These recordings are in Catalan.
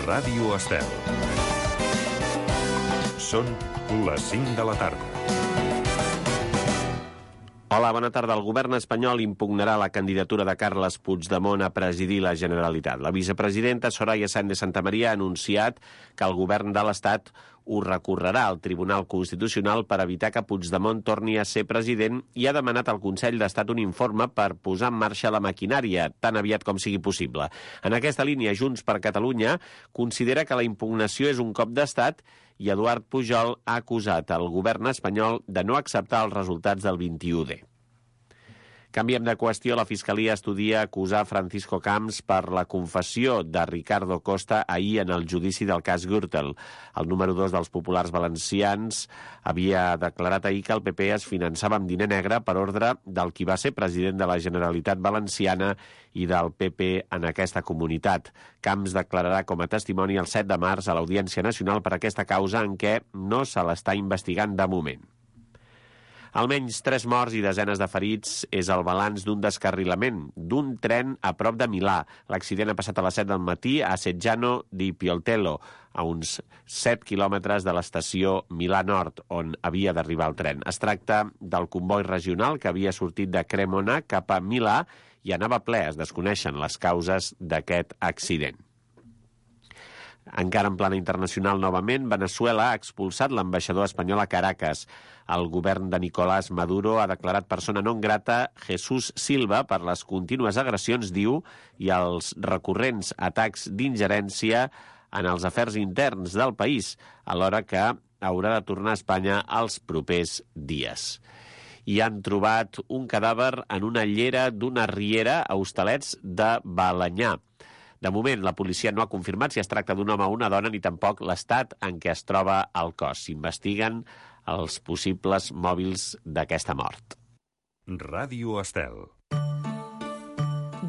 Ràdio Estel. Són les 5 de la tarda. Hola, bona tarda. El govern espanyol impugnarà la candidatura de Carles Puigdemont a presidir la Generalitat. La vicepresidenta Soraya Sáenz de Santamaría ha anunciat que el govern de l'Estat ho recorrerà al Tribunal Constitucional per evitar que Puigdemont torni a ser president i ha demanat al Consell d'Estat un informe per posar en marxa la maquinària tan aviat com sigui possible. En aquesta línia, Junts per Catalunya considera que la impugnació és un cop d'Estat i Eduard Pujol ha acusat el govern espanyol de no acceptar els resultats del 21D. Canviem de qüestió. La Fiscalia estudia acusar Francisco Camps per la confessió de Ricardo Costa ahir en el judici del cas Gürtel. El número 2 dels populars valencians havia declarat ahir que el PP es finançava amb diner negre per ordre del qui va ser president de la Generalitat Valenciana i del PP en aquesta comunitat. Camps declararà com a testimoni el 7 de març a l'Audiència Nacional per aquesta causa en què no se l'està investigant de moment. Almenys 3 morts i desenes de ferits és el balanç d'un descarrilament d'un tren a prop de Milà. L'accident ha passat a les 7 del matí a Seggiano di Pioltello, a uns 7 quilòmetres de l'estació Milà Nord, on havia d'arribar el tren. Es tracta del comboi regional que havia sortit de Cremona cap a Milà i anava ple. Es desconeixen les causes d'aquest accident. Encara en plana internacional, novament, Veneçuela ha expulsat l'ambaixador espanyol a Caracas. El govern de Nicolás Maduro ha declarat persona non grata Jesús Silva per les contínues agressions, diu, i els recurrents atacs d'ingerència en els afers interns del país, alhora que haurà de tornar a Espanya els propers dies. I han trobat un cadàver en una llera d'una riera a Hostalets de Balenyà. De moment, la policia no ha confirmat si es tracta d'un home o una dona ni tampoc l'estat en què es troba el cos. S'investiguen els possibles mòbils d'aquesta mort. Ràdio Estel.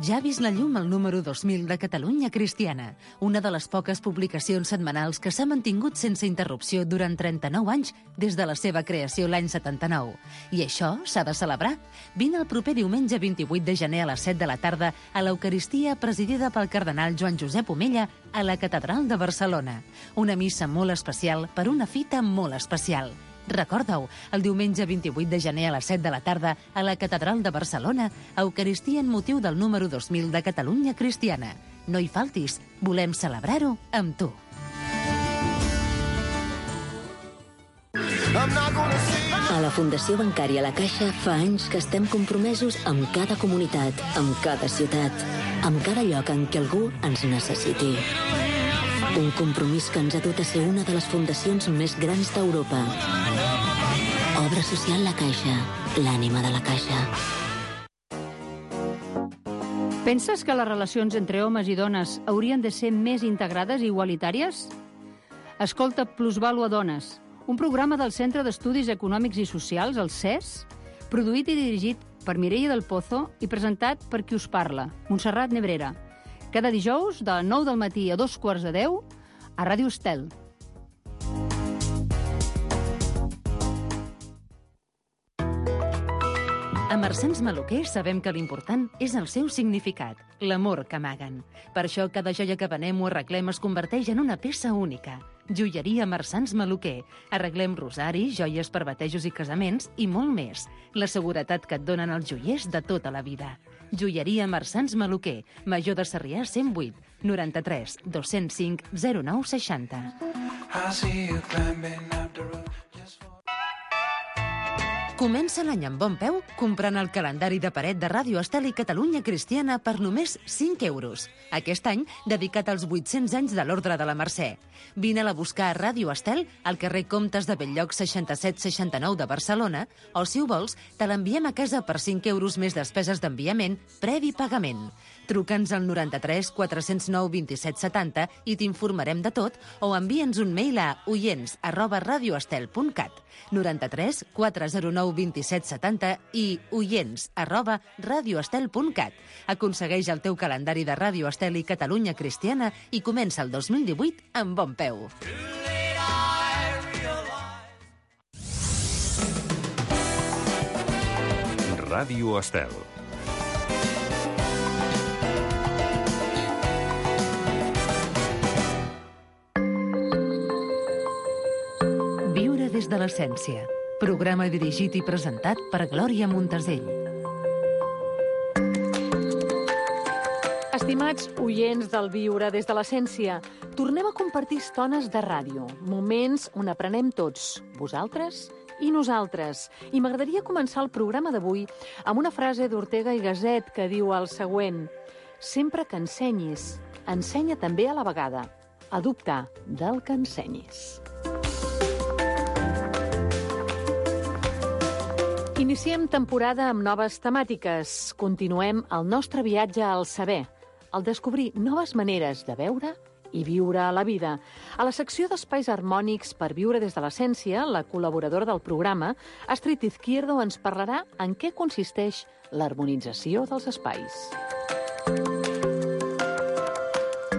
Ja ha vist la llum el número 2000 de Catalunya Cristiana, una de les poques publicacions setmanals que s'ha mantingut sense interrupció durant 39 anys des de la seva creació l'any 79. I això s'ha de celebrar. Vine el proper diumenge 28 de gener a les 7 de la tarda a l'Eucaristia presidida pel cardenal Joan Josep Omella a la Catedral de Barcelona. Una missa molt especial per una fita molt especial. Recorda-ho, el diumenge 28 de gener a les 7 de la tarda a la Catedral de Barcelona, Eucaristia en motiu del número 2000 de Catalunya Cristiana. No hi faltis, volem celebrar-ho amb tu. A la Fundació Bancària La Caixa fa anys que estem compromesos amb cada comunitat, amb cada ciutat, amb cada lloc en què algú ens necessiti. Un compromís que ens ha dut a ser una de les fundacions més grans d'Europa. Obra social La Caixa, l'ànima de la Caixa. Penses que les relacions entre homes i dones haurien de ser més integrades i igualitàries? Escolta Plusvàlua Dones, un programa del Centre d'Estudis Econòmics i Socials, el CES, produït i dirigit per Mireia del Pozo i presentat per qui us parla, Montserrat Nebrera. Cada dijous, de 9 del matí a 9:45, a Ràdio Estel. A Marsans Maluquer sabem que l'important és el seu significat, l'amor que amaguen. Per això cada joia que venem o arreglem es converteix en una peça única. Joieria Marsans Maluquer. Arreglem rosaris, joies per batejos i casaments i molt més. La seguretat que et donen els joiers de tota la vida. Joieria Marsans Maluquer, Major de Sarrià 108, 93 205 09 60. Comença l'any amb bon peu comprant el calendari de paret de Ràdio Estel i Catalunya Cristiana per només 5 euros. Aquest any dedicat als 800 anys de l'Ordre de la Mercè. Vine-la a buscar a Ràdio Estel al carrer Comtes de Belllloc 6769 de Barcelona o, si ho vols, te l'enviem a casa per 5 euros més despeses d'enviament previ pagament. Truca'ns al 93 409 27 70 i t'informarem de tot o envia'ns un mail a oients@radioestel.cat 93 409 27 70 i oients@radioestel.cat. Aconsegueix el teu calendari de Ràdio Estel i Catalunya Cristiana i comença el 2018 amb bon peu. Ràdio Estel. Des de l'Essència. Programa dirigit i presentat per Glòria Montesell. Estimats oients del Viure des de l'Essència, tornem a compartir estones de ràdio, moments on aprenem tots, vosaltres i nosaltres. I m'agradaria començar el programa d'avui amb una frase d'Ortega i Gasset que diu el següent: sempre que ensenyis, ensenya també a la vegada a dubtar del que ensenyis. Iniciem temporada amb noves temàtiques. Continuem el nostre viatge al saber, al descobrir noves maneres de veure i viure a la vida. A la secció d'Espais Harmònics per viure des de l'Essència, la col·laboradora del programa, Astrid Izquierdo, ens parlarà en què consisteix l'harmonització dels espais.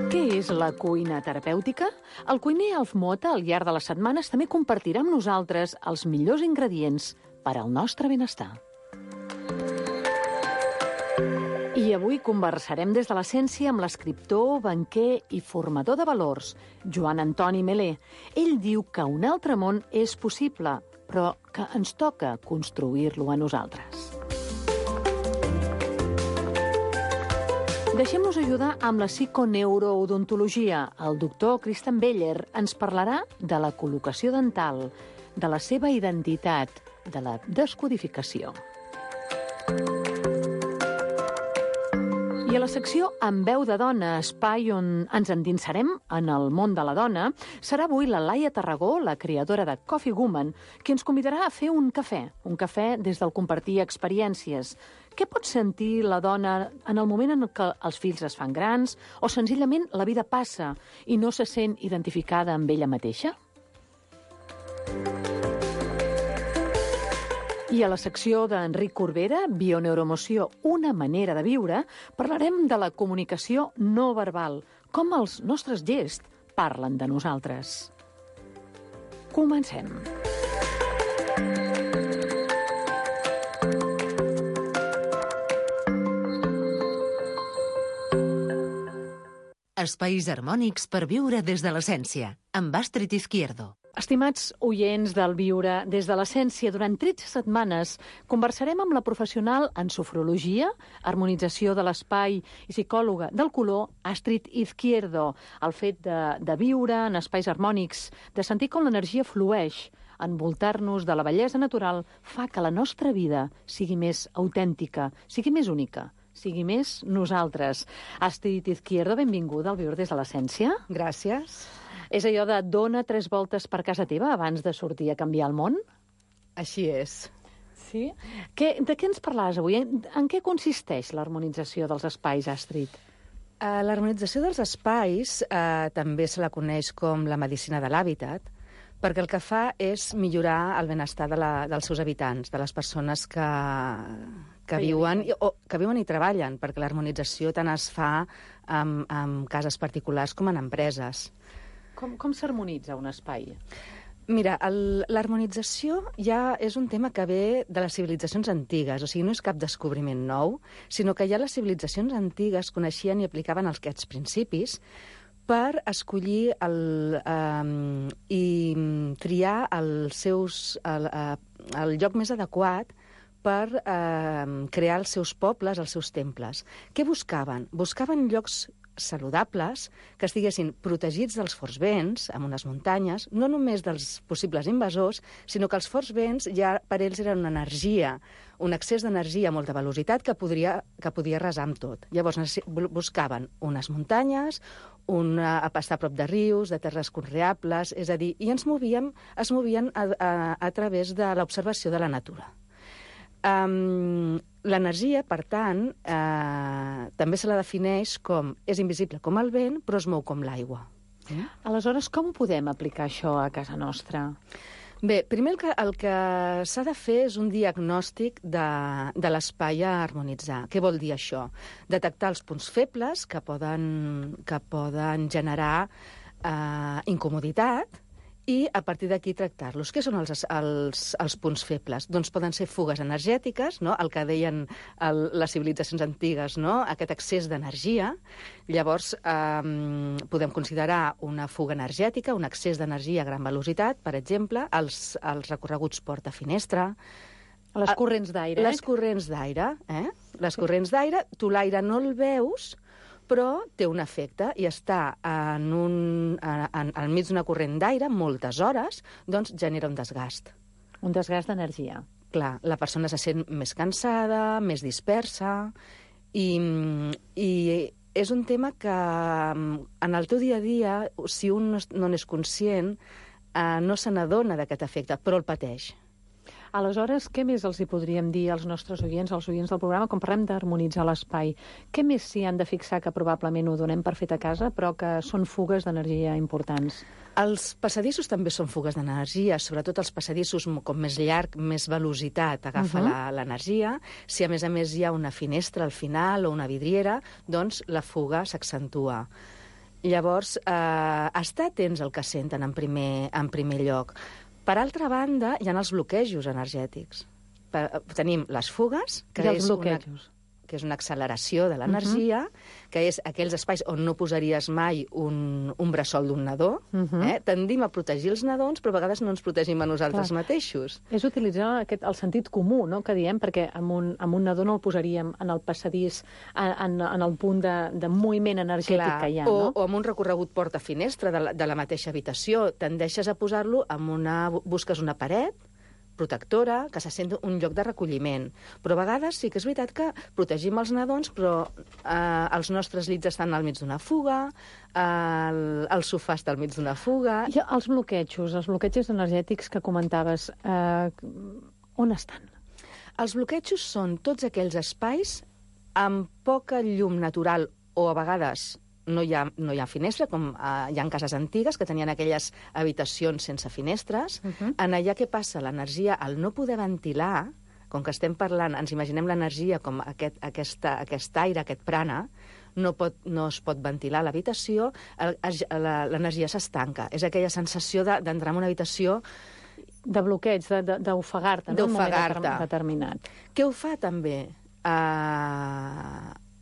Què és la cuina terapèutica? El cuiner Alf Mota, al llarg de les setmanes, també compartirà amb nosaltres els millors ingredients per al nostre benestar. I avui conversarem des de l'Essència amb l'escriptor, banquer i formador de valors, Joan Antoni Melé. Ell diu que un altre món és possible, però que ens toca construir-lo a nosaltres. Deixem-nos ajudar amb la psiconeuroodontologia. El doctor Kristen Beller ens parlarà de la col·locació dental, de la seva identitat, de la descodificació. I a la secció Amb veu de dona, espai on ens endinsarem en el món de la dona, serà avui la Laia Tarragó, la creadora de Coffee Woman, qui ens convidarà a fer un cafè des del compartir experiències. Què pot sentir la dona en el moment en què els fills es fan grans o senzillament la vida passa i no se sent identificada amb ella mateixa? I a la secció d'Enric Corbera, Bioneuroemoció, una manera de viure, parlarem de la comunicació no verbal, com els nostres gests parlen de nosaltres. Comencem. Espais harmònics per viure des de l'Essència, amb Astrid Izquierdo. Estimats oients del Viure des de l'Essència, durant 13 setmanes conversarem amb la professional en sofrologia, harmonització de l'espai i psicòloga del color, Astrid Izquierdo. El fet de viure en espais harmònics, de sentir com l'energia flueix, envoltar-nos de la bellesa natural, fa que la nostra vida sigui més autèntica, sigui més única, sigui més nosaltres. Astrid Izquierdo, benvinguda al Viure des de l'Essència. Gràcies. És allò de dona 3 voltes per casa teva abans de sortir a canviar el món? Així és. Sí? De què ens parlaràs avui? En què consisteix l'harmonització dels espais, Astrid? L'harmonització dels espais també se la coneix com la medicina de l'hàbitat, perquè el que fa és millorar el benestar dels seus habitants, de les persones que viuen i treballen, perquè l'harmonització tant es fa en cases particulars com en empreses. Com s'harmonitza un espai? Mira, l'harmonització ja és un tema que ve de les civilitzacions antigues, o sigui, no és cap descobriment nou, sinó que ja les civilitzacions antigues coneixien i aplicaven aquests principis per escollir i triar el lloc més adequat per crear els seus pobles, els seus temples. Què buscaven? Buscaven llocs saludables, que estiguessin protegits dels forts vents, amb unes muntanyes, no només dels possibles invasors, sinó que els forts vents ja per ells eren una energia, un excés d'energia a molta velocitat que podia arrasar amb tot. Llavors buscaven unes muntanyes, a estar a prop de rius, de terres conreables, és a dir, i es movien a través de l'observació de la natura. L'energia, per tant, també se la defineix com és invisible com el vent, però es mou com l'aigua. Aleshores, com podem aplicar això a casa nostra? Bé, primer el que s'ha de fer és un diagnòstic de l'espai a harmonitzar. Què vol dir això? Detectar els punts febles que poden generar incomoditat i a partir d'aquí tractar-los. Què són els punts febles? Doncs poden ser fugues energètiques, no? El que deien les civilitzacions antigues, no? Aquest excés d'energia. Llavors, podem considerar una fuga energètica, un excés d'energia a gran velocitat, per exemple, els recorreguts porta-finestra. Les corrents d'aire. Les corrents d'aire, Les corrents d'aire, tu l'aire no el veus, però té un efecte i està al mig d'una corrent d'aire moltes hores, doncs genera un desgast. Un desgast d'energia. Clar, la persona se sent més cansada, més dispersa, i és un tema que en el teu dia a dia, si un no n'és conscient, no se n'adona d'aquest efecte, però el pateix. Aleshores, què més els hi podríem dir als nostres oients, als oients del programa, quan parlem d'harmonitzar l'espai? Què més s'hi han de fixar que probablement ho donem per fet a casa, però que són fugues d'energia importants? Els passadissos també són fugues d'energia, sobretot els passadissos com més llarg, més velocitat agafa l'energia. Si a més hi ha una finestra al final o una vidriera, doncs la fuga s'accentua. Llavors, estar atents al que senten en primer lloc. Per altra banda, hi ha els bloquejos energètics. Tenim les fugues, que és una acceleració de l'energia, que és aquells espais on no posaries mai un bressol d'un nadó. Tendim a protegir els nadons, però a vegades no ens protegim a nosaltres mateixos. És utilitzar el sentit comú, no?, que diem, perquè amb un nadó no el posaríem en el passadís, en el punt de moviment energètic que hi ha, no? O amb un recorregut porta-finestra de la mateixa habitació. Tendeixes a posar-lo busques una paret protectora, que se sent un lloc de recolliment. Però a vegades sí que és veritat que protegim els nadons, però els nostres llits estan al mig d'una fuga, el sofà està al mig d'una fuga... I els bloquejos energètics que comentaves, on estan? Els bloquejos són tots aquells espais amb poca llum natural o a vegades no hi ha finestra, com hi ha cases antigues que tenien aquelles habitacions sense finestres. En allà què passa? L'energia, al no poder ventilar, com que estem parlant, ens imaginem l'energia com aquest aire, aquest prana, no es pot ventilar l'habitació, l'energia s'estanca. És aquella sensació d'entrar en una habitació... De bloqueig, d'ofegar-te, no? D'ofegar-te. En un moment determinat. Què ho fa, també?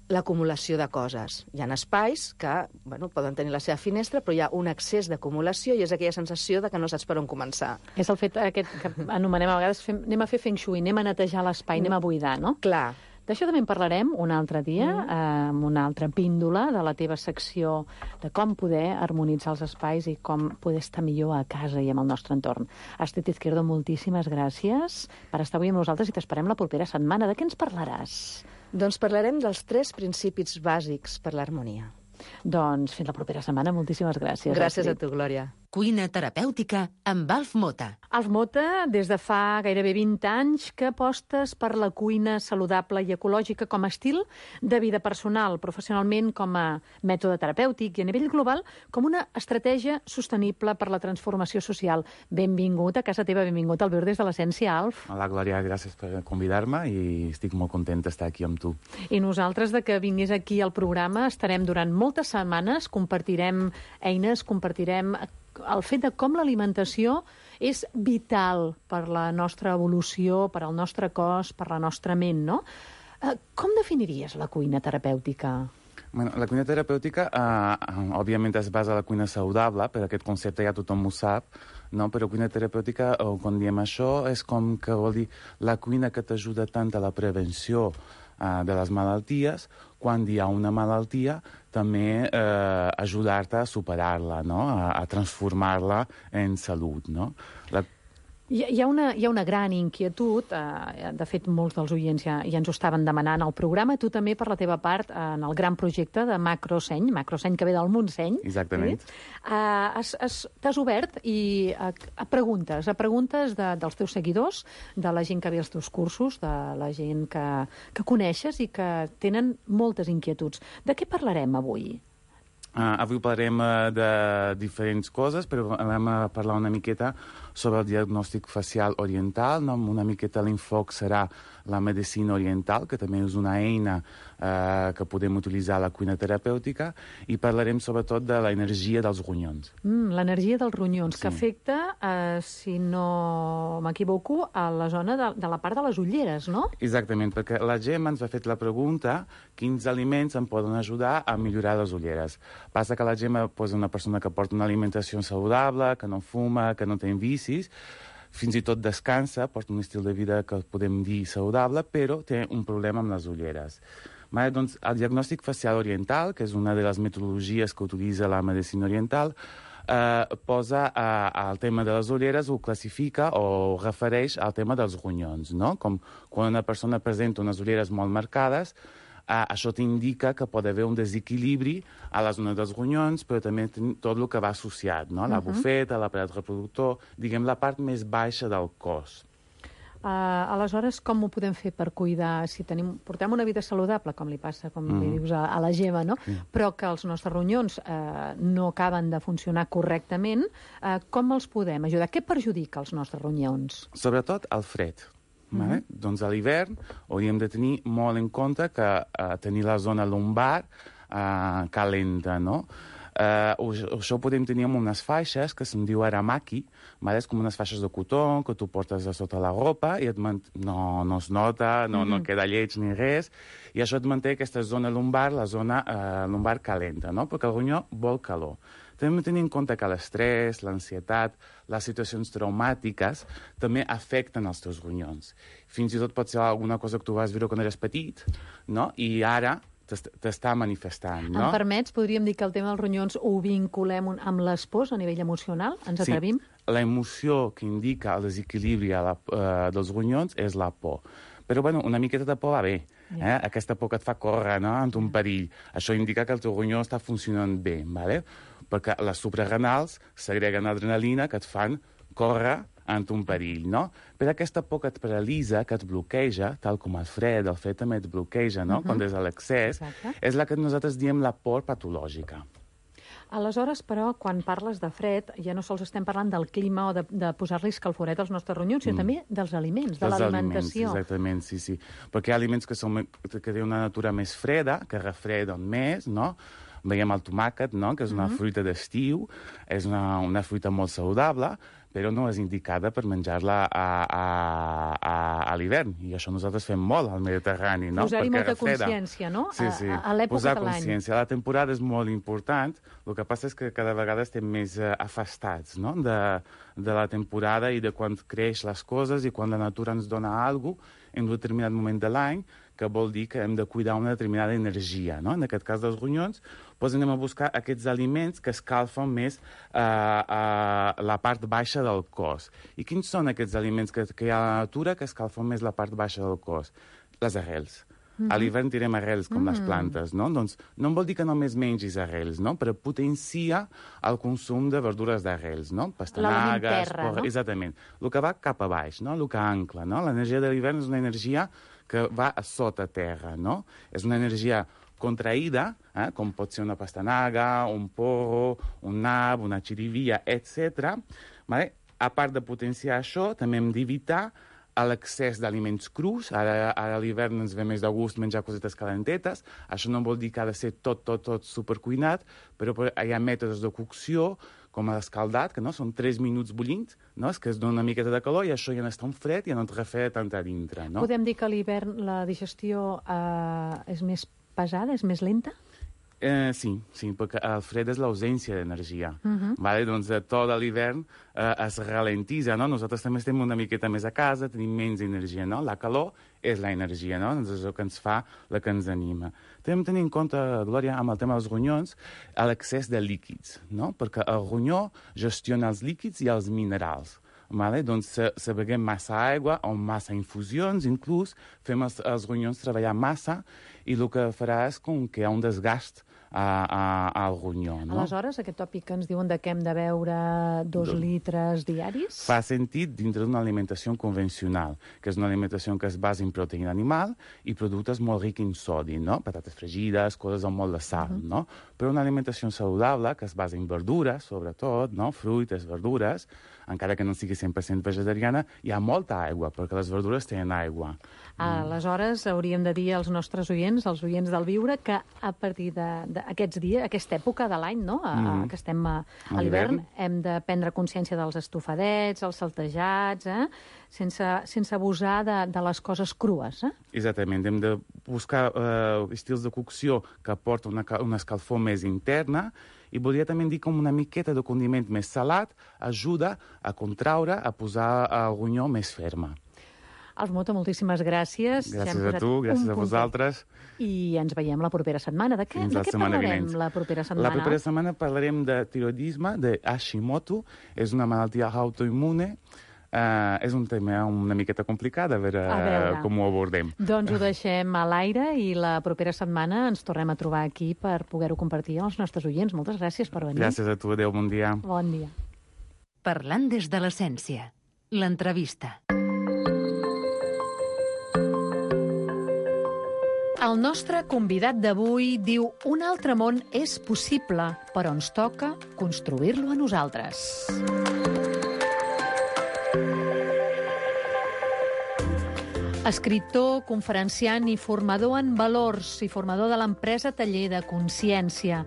L'acumulació de coses. Hi ha espais que poden tenir la seva finestra, però hi ha un excés d'acumulació i és aquella sensació de que no saps per on començar. És el fet aquest que anomenem a vegades anem a fer feng shui, anem a netejar l'espai, anem a buidar, no? Clar. D'això també en parlarem un altre dia, amb una altra píndola de la teva secció de com poder harmonitzar els espais i com poder estar millor a casa i amb el nostre entorn. Astrid Izquierdo, moltíssimes gràcies per estar avui amb nosaltres i t'esperem la propera setmana. De què ens parlaràs? Doncs parlarem dels 3 principis bàsics per l'harmonia. Doncs fins la propera setmana. Moltíssimes gràcies. Gràcies a tu, Glòria. Cuina terapèutica amb Alf Mota. Alf Mota, des de fa gairebé 20 anys que apostes per la cuina saludable i ecològica com a estil de vida personal, professionalment com a mètode terapèutic i a nivell global com una estratègia sostenible per la transformació social. Benvingut a casa teva, benvingut al Viure des de l'Essència, Alf. Hola, Glòria, gràcies per convidar-me i estic molt content d'estar aquí amb tu. I nosaltres, de que vingués aquí al programa, estarem durant moltes setmanes, compartirem eines, compartirem el fet de com l'alimentació és vital per la nostra evolució, per al nostre cos, per la nostra ment, no? Com definiries la cuina terapèutica? Bueno, la cuina terapèutica, òbviament, es basa en la cuina saludable, per aquest concepte ja tothom ho sap, no? Però cuina terapèutica, quan diem això, és com que vol dir la cuina que t'ajuda tant a la prevenció de les malalties, quan hi ha una malaltia, també ajudar-te a superar-la, no? A transformar-la en salut, no? Hi ha una gran inquietud, de fet molts dels oients ja ens ho estaven demanant al programa, tu també per la teva part en el gran projecte de Macroseny que ve del Montseny. Exactament. T'has obert a preguntes dels teus seguidors, de la gent que ve als teus cursos, de la gent que coneixes i que tenen moltes inquietuds. De què parlarem avui? Avui parlarem de diferents coses, però vam parlar una miqueta sobre el diagnòstic facial oriental, no? Una miqueta l'enfoc serà la medicina oriental, que també és una eina que podem utilitzar a la cuina terapèutica, i parlarem sobretot de l'energia dels ronyons. L'energia dels ronyons, Sí. que afecta, si no m'equivoco, a la zona de la part de les ulleres, no? Exactament, perquè la Gemma ens ha fet la pregunta quins aliments em poden ajudar a millorar les ulleres. Passa que la Gemma és una persona que porta una alimentació saludable, que no fuma, que no té vicis, fins i tot descansa, porta un estil de vida que podem dir saludable, però té un problema amb les ulleres. Doncs el diagnòstic facial oriental, que és una de les metodologies que utilitza la medicina oriental, posa el tema de les ulleres, ho classifica o refereix al tema dels ronyons, no? Com quan una persona presenta unes ulleres molt marcades, això t'indica que pot haver un desequilibri a la zona dels ronyons, però també tot el que va associat, no? La bufeta, l'aparat reproductor, diguem, la part més baixa del cos. Aleshores, com ho podem fer per cuidar? Si portem una vida saludable, com li passa, com li dius a la Gemma, no? Però que els nostres ronyons no acaben de funcionar correctament, com els podem ajudar? Què perjudica els nostres ronyons? Sobretot el fred. Doncs a l'hivern hauríem de tenir molt en compte que tenir la zona lumbar calenta, no? Això ho podem tenir amb unes faixes que se'n diu aramaki, és com unes faixes de cotó que tu portes a sota la ropa i no es nota, no queda lleig ni res, i això et manté aquesta zona lumbar, la zona lumbar calenta, no? Perquè el ronyó vol calor. També hem de tenir en compte que l'estrès, l'ansietat, les situacions traumàtiques també afecten els teus ronyons. Fins i tot pot ser alguna cosa que tu vas viure quan eres petit, no? I ara t'està manifestant, no? Em permets, podríem dir que el tema dels ronyons ho vinculem amb les pors a nivell emocional? Ens atrevim? Sí, l'emoció que indica el desequilibri dels ronyons és la por. Però, bueno, una miqueta de por va bé. Aquesta por que et fa córrer, no?, ant un perill. Això indica que el teu ronyó està funcionant bé, ¿vale? Perquè les suprarrenals segreguen adrenalina que et fan córrer ant un perill, no? Però aquesta por que et paralitza, que et bloqueja, tal com el fred també et bloqueja, no?, quan és a l'excés, és la que nosaltres diem la por patològica. Aleshores, però, quan parles de fred, ja no sols estem parlant del clima o de posar-li escalforet als nostres ronyons, sinó també dels aliments, de l'alimentació. Exactament, sí. Perquè hi ha aliments que tenen una natura més freda, que refreden més, no? Veiem el tomàquet, no?, que és una fruita d'estiu, és una fruita molt saludable, però no és indicada per menjar-la a l'hivern. I això nosaltres fem molt al Mediterrani, no? Posar-hi molta consciència, no? Sí. A l'època posar de l'any. consciència. La temporada és molt important. El que passa és que cada vegada estem més afastats, no?, de la temporada i de quan creix les coses i quan la natura ens dona alguna cosa en un determinat moment de l'any, que vol dir que hem de cuidar una determinada energia, no? En aquest cas dels ronyons, doncs anem a buscar aquests aliments que escalfen més la part baixa del cos. I quins són aquests aliments que hi ha a la natura que escalfen més la part baixa del cos? Les arrels. A l'hivern tirem arrels, com les plantes, no? Doncs no vol dir que només mengis arrels, no? Però potencia el consum de verdures d'arrels, no? L'element terra, no? Exactament. El que va cap a baix, no? El que ancla, no? L'energia de l'hivern és una energia que va a sota terra, no? És una energia contraïda, com pot ser una pastanaga, un porro, un nab, una xirivia, etc. A part de potenciar això, també hem d'evitar l'excés d'aliments crus. Ara a l'hivern ens ve més de gust menjar cosetes calentetes. Això no vol dir que ha de ser tot supercuinat, però hi ha mètodes de cocció, com l'escaldat, que no són 3 minuts bullint, no? És que es dona una miqueta de calor i això ja no està un fred i ja no et refreda tant a dintre, no? Podem dir que a l'hivern la digestió és més pesada, és més lenta? Sí, perquè el fred és l'ausència d'energia. Doncs tot l'hivern es ralentitza, no? Nosaltres també estem una miqueta més a casa, tenim menys energia, no? La calor és l'energia, no? És el que ens fa, la que ens anima. També hem de tenir en compte, Glòria, amb el tema dels ronyons, l'excés de líquids, no? Perquè el ronyó gestiona els líquids i els minerals. Vale? Doncs si beguem massa aigua o massa infusions, inclús, fem els ronyons treballar massa i el que farà és com que hi ha un desgast al ronyó. No? Aleshores, aquest tòpic que ens diuen de que hem de beure 2 litres diaris... Fa sentit dintre d'una alimentació convencional, que és una alimentació que es basa en proteïna animal i productes molt rics en sodi, no? Patates fregides, coses amb molt de sal, no? Però una alimentació saludable que es basa en verdures, sobretot, no? Fruites, verdures, encara que no sigui 100% vegetariana, hi ha molta aigua, perquè les verdures tenen aigua. Aleshores, hauríem de dir als nostres oients, als oients del Viure, que a partir d'aquests dies, aquesta època de l'any, no? Que estem a l'hivern, hem de prendre consciència dels estofadets, els saltejats, sense abusar de les coses crues. Exactament, hem de buscar estils de cocció que aporten una escalfor més interna, i volia també dir com una miqueta de condiment més salat ajuda a contraure, a posar el ronyó més ferma. Alf Mota, moltíssimes gràcies. Gràcies a tu, gràcies a vosaltres. I ens veiem la propera setmana. De què parlarem la propera setmana? La propera setmana parlarem de tiroidisme, de Hashimoto. És una malaltia autoimmune. És un tema una miqueta complicat, a veure com ho abordem. Doncs ho deixem a l'aire i la propera setmana ens tornem a trobar aquí per poder-ho compartir amb els nostres oients. Moltes gràcies per venir. Gràcies a tu, adéu, bon dia. Bon dia. Parlant des de l'essència. L'entrevista. El nostre convidat d'avui diu: un altre món és possible, però ens toca construir-lo a nosaltres. Escriptor, conferenciant i formador en valors i formador de l'empresa Taller de Consciència.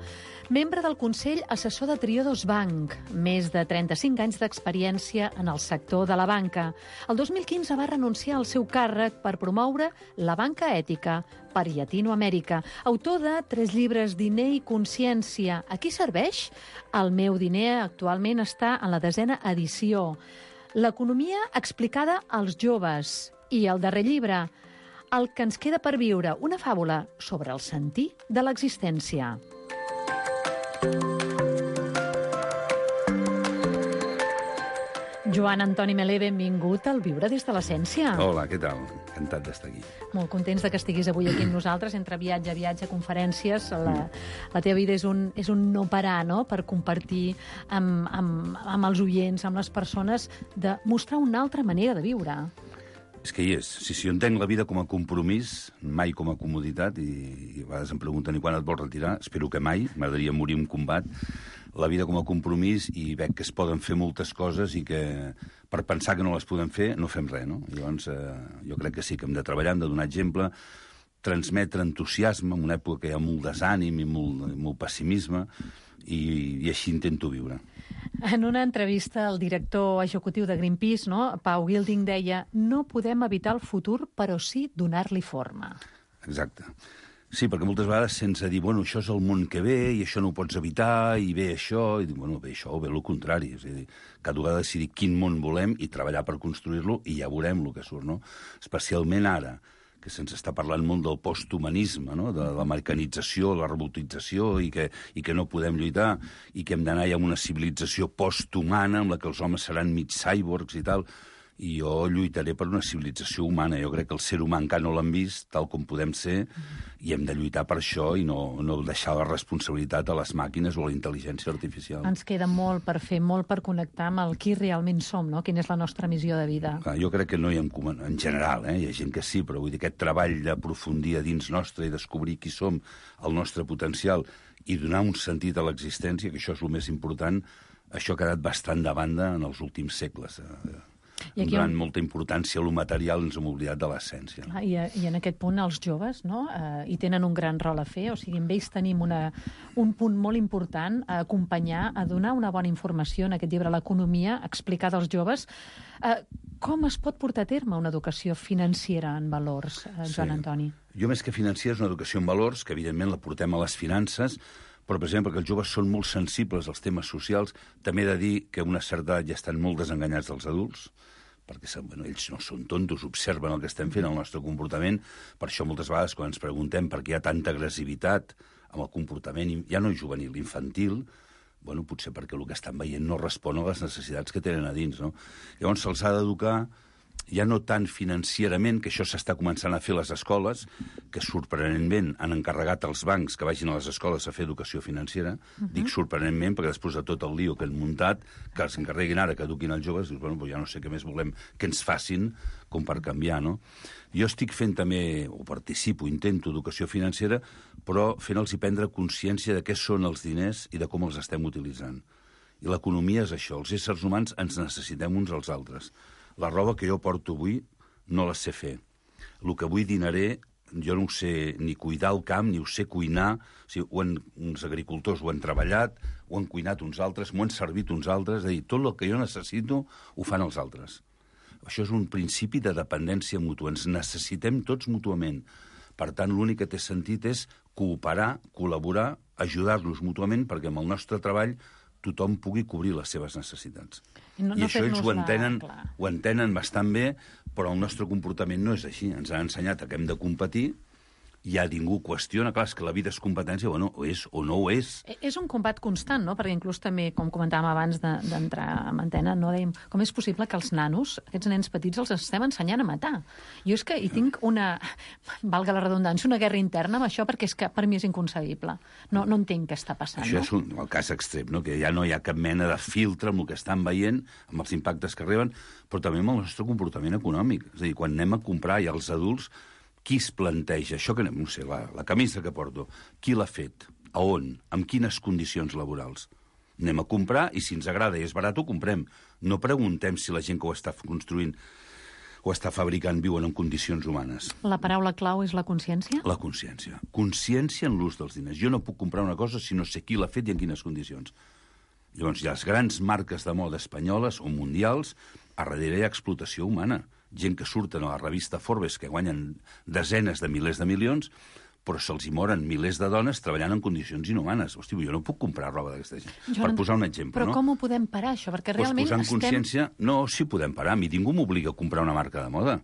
Membre del Consell Assessor de Triodos Bank, més de 35 anys d'experiència en el sector de la banca. El 2015 va renunciar al seu càrrec per promoure la banca ètica per Llatinoamèrica. Autor de 3 llibres, Diner i Consciència. A qui serveix? El meu diner actualment està en la 10ª edició. L'economia explicada als joves. I el darrer llibre, El que ens queda per viure, una fàbula sobre el sentir de l'existència. Joan Antoni Melé, benvingut al Viure des de l'Essència. Hola, què tal? Encantat d'estar aquí. Molt contents de que estiguis avui aquí amb nosaltres, entre viatge a viatge, conferències. La teva vida és un no parar, no?, per compartir amb els oients, amb les persones, de mostrar una altra manera de viure. És que hi és. Si jo entenc la vida com a compromís, mai com a comoditat, i a vegades em pregunten i quan et vols retirar, espero que mai, m'agradaria morir en combat, la vida com a compromís, i veig que es poden fer moltes coses i que per pensar que no les podem fer no fem res, no? Llavors jo crec que sí que hem de treballar, hem de donar exemple, transmetre entusiasme en una època que hi ha molt desànim i molt pessimisme, i així intento viure. En una entrevista, el director executiu de Greenpeace, no, Pau Gilding, deia: no podem evitar el futur, però sí donar-li forma. Exacte. Sí, perquè moltes vegades sense dir, bueno, això és el món que ve i això no ho pots evitar i ve això, i dic, bueno, ve això o ve el contrari. És a dir, cada vegada decidir quin món volem i treballar per construir-lo i ja veurem el que surt, no? Especialment ara, que se'ns està parlant molt del posthumanisme, no? De l'americανització, la robotització, i que no podem lluitar, i que hem d'anar ja a una civilització posthumana en la que els homes seran mig cyborgs i tal. I jo lluitaré per una civilització humana. Jo crec que el ser humà encara no l'han vist tal com podem ser, i hem de lluitar per això i no deixar la responsabilitat a les màquines o a la intel·ligència artificial. Ens queda molt per fer, molt per connectar amb el qui realment som, no? Quina és la nostra missió de vida. Clar, jo crec que no hi ha, en general, hi ha gent que sí, però vull dir, aquest treball d'aprofundir a dins nostre i descobrir qui som, el nostre potencial, i donar un sentit a l'existència, que això és el més important, això ha quedat bastant de banda en els últims segles. Donant molta importància a lo material, ens hem oblidat de l'essència. I en aquest punt els joves, no?, hi tenen un gran rol a fer. O sigui, amb ells tenim un punt molt important a acompanyar, a donar una bona informació en aquest llibre, l'economia explicada als joves. Com es pot portar a terme una educació financera en valors, Joan Antoni? Jo, més que financera, és una educació en valors, que evidentment la portem a les finances, però, per exemple, que els joves són molt sensibles als temes socials. També he de dir que a una certa edat ja estan molt desenganyats dels adults, perquè ells no són tontos, observen el que estem fent, el nostre comportament. Per això, moltes vegades, quan ens preguntem per què hi ha tanta agressivitat amb el comportament, ja no juvenil, infantil, Bueno, potser perquè el que estan veient no respon a les necessitats que tenen a dins, no? Llavors se'ls ha d'educar ja no tant financierament, que això s'està començant a fer a les escoles, que sorprenentment han encarregat als bancs que vagin a les escoles a fer educació financera. Dic sorprenentment perquè després de tot el lío que han muntat, que els encarreguin ara que eduquin els joves, dius, bueno, ja no sé què més volem que ens facin com per canviar, no? Jo estic fent també, o participo, intento educació financera, però fent-los prendre consciència de què són els diners i de com els estem utilitzant. I l'economia és això, els éssers humans ens necessitem uns als altres. La roba que jo porto avui no la sé fer. El que avui dinaré, jo no ho sé ni cuidar el camp, ni ho sé cuinar. O sigui, uns agricultors ho han treballat, ho han cuinat uns altres, m'ho han servit uns altres. És a dir, tot el que jo necessito ho fan els altres. Això és un principi de dependència mútua. Ens necessitem tots mútuament. Per tant, l'únic que té sentit és cooperar, col·laborar, ajudar-nos mútuament perquè amb el nostre treball tothom pugui cobrir les seves necessitats. I això ells ho entenen bastant bé, però el nostre comportament no és així. Ens ha ensenyat que hem de competir, ja ningú qüestiona, clar, és que la vida és competència, bueno, o és o no ho és. És un combat constant, no? Perquè inclús també, com comentàvem abans d'entrar en antena, no dèiem com és possible que els nanos, aquests nens petits, els estem ensenyant a matar. Jo és que hi tinc una, valga la redundància, una guerra interna amb això, perquè és que per mi és inconcebible. No entenc què està passant. Això és el cas extrem, no? Que ja no hi ha cap mena de filtre amb el que estan veient, amb els impactes que arriben, però també amb el nostre comportament econòmic. És a dir, quan anem a comprar ja els adults, qui es planteja? Això que, no sé, la camisa que porto, qui l'ha fet? A on? Amb quines condicions laborals? Anem a comprar i si ens agrada i és barat ho comprem. No preguntem si la gent que ho està construint o està fabricant viuen en condicions humanes. La paraula clau és la consciència? La consciència. Consciència en l'ús dels diners. Jo no puc comprar una cosa si no sé qui l'ha fet i en quines condicions. Llavors, hi ha les grans marques de moda espanyoles o mundials, a darrere hi ha explotació humana. Gent que surten a la revista Forbes que guanyen desenes de milers de milions, però se'ls hi moren milers de dones treballant en condicions inhumanes. Hosti, jo no puc comprar roba d'aquesta gent. Per posar un exemple, però no? Però com ho podem parar, això? Perquè realment posant consciència... No, sí podem parar. A mi ningú m'obliga a comprar una marca de moda.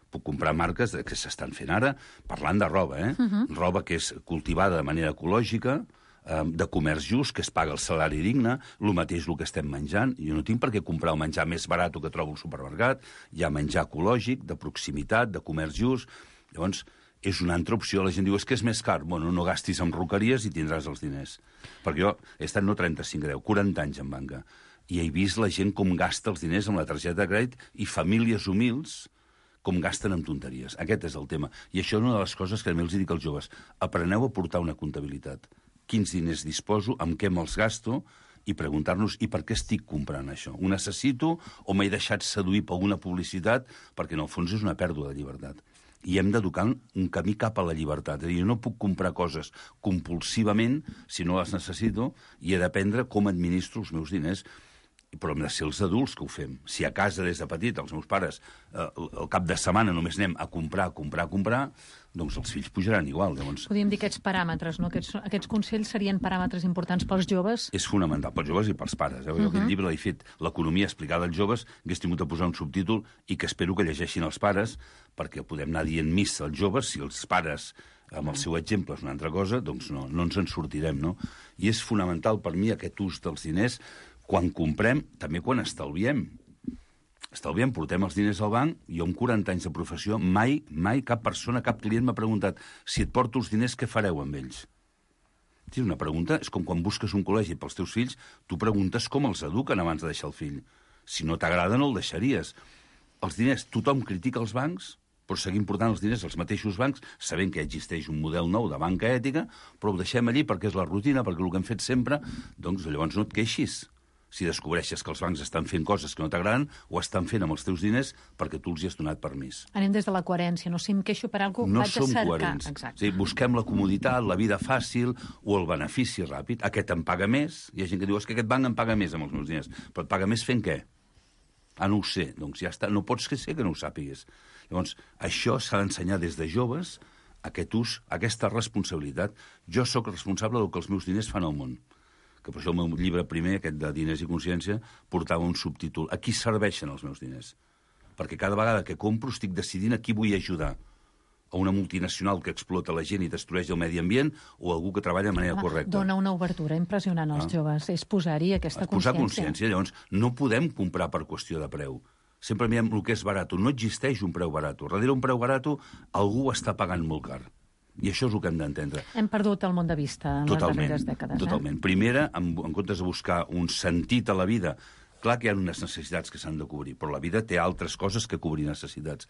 Puc comprar marques que s'estan fent ara, parlant de roba, roba que és cultivada de manera ecològica, de comerç just, que es paga el salari digne, el mateix el que estem menjant. Jo no tinc per què comprar el menjar més barat que trobo al supermercat. Hi ha menjar ecològic, de proximitat, de comerç just. Llavors, és una altra opció. La gent diu, és que és més car. Bueno, no gastis en roqueries i tindràs els diners. Perquè jo he estat no 35, 40 anys en banca. I he vist la gent com gasta els diners amb la targeta de crèdit i famílies humils com gasten en tonteries. Aquest és el tema. I això és una de les coses que a mi els dic als joves. Apreneu a portar una comptabilitat. Quins diners disposo, amb què me'ls gasto, i preguntar-nos, i per què estic comprant això? Ho necessito o m'he deixat seduir per una publicitat? Perquè, en el fons, és una pèrdua de llibertat. I hem d'educar un camí cap a la llibertat. És a dir, jo no puc comprar coses compulsivament si no les necessito i he d'aprendre com administro els meus diners. Però hem de ser els adults que ho fem. Si a casa des de petit els meus pares el cap de setmana només anem a comprar, doncs els fills pujaran igual. Llavors, podríem dir aquests paràmetres, no? Aquests consells serien paràmetres importants pels joves? És fonamental, pels joves i pels pares. Jo aquest llibre l'he fet, l'economia explicada als joves, hagués tingut de posar un subtítol i que espero que llegeixin els pares, perquè podem anar dient missa als joves, si els pares amb el seu exemple és una altra cosa, doncs no ens en sortirem, no? I és fonamental per mi aquest ús dels diners quan comprem, també quan estalviem. Estalviem, portem els diners al banc, jo amb 40 anys de professió, mai cap persona, cap client m'ha preguntat si et porto els diners, què fareu amb ells? Sí, una pregunta és com quan busques un col·legi pels teus fills, tu preguntes com els eduquen abans de deixar el fill. Si no t'agrada, no el deixaries. Els diners, tothom critica els bancs, però seguim portant els diners als mateixos bancs, sabent que existeix un model nou de banca ètica, però ho deixem allí perquè és la rutina, perquè el que hem fet sempre, doncs llavors no et queixis. Si descobreixes que els bancs estan fent coses que no t'agraden, ho estan fent amb els teus diners perquè tu els hi has donat permís. Anem des de la coherència, no? Si em queixo per alguna cosa, no vaig a cercar. No som coherents. Sí, busquem la comoditat, la vida fàcil o el benefici ràpid. Aquest em paga més. Hi ha gent que diu, és que aquest banc em paga més amb els meus diners. Però et paga més fent què? No ho sé. Doncs ja està. No pots ser que no ho sàpigues. Llavors, això s'ha d'ensenyar des de joves, aquest ús, aquesta responsabilitat. Jo sóc responsable del que els meus diners fan al món. Que per això el meu llibre primer, aquest de Diners i Consciència, portava un subtítol. A qui serveixen els meus diners? Perquè cada vegada que compro estic decidint a qui vull ajudar. a una multinacional que explota la gent i destrueix el medi ambient, o algú que treballa de manera correcta. Dona una obertura impressionant als joves, és posar-hi aquesta consciència. Posar consciència, llavors no podem comprar per qüestió de preu. Sempre mirem el que és barat. No existeix un preu barat. Darrere un preu barat algú està pagant molt car. I això és el que hem d'entendre. Hem perdut el món de vista en les darreres dècades. Totalment. Primera, en comptes de buscar un sentit a la vida, clar que hi ha unes necessitats que s'han de cobrir, però la vida té altres coses que cobrir necessitats.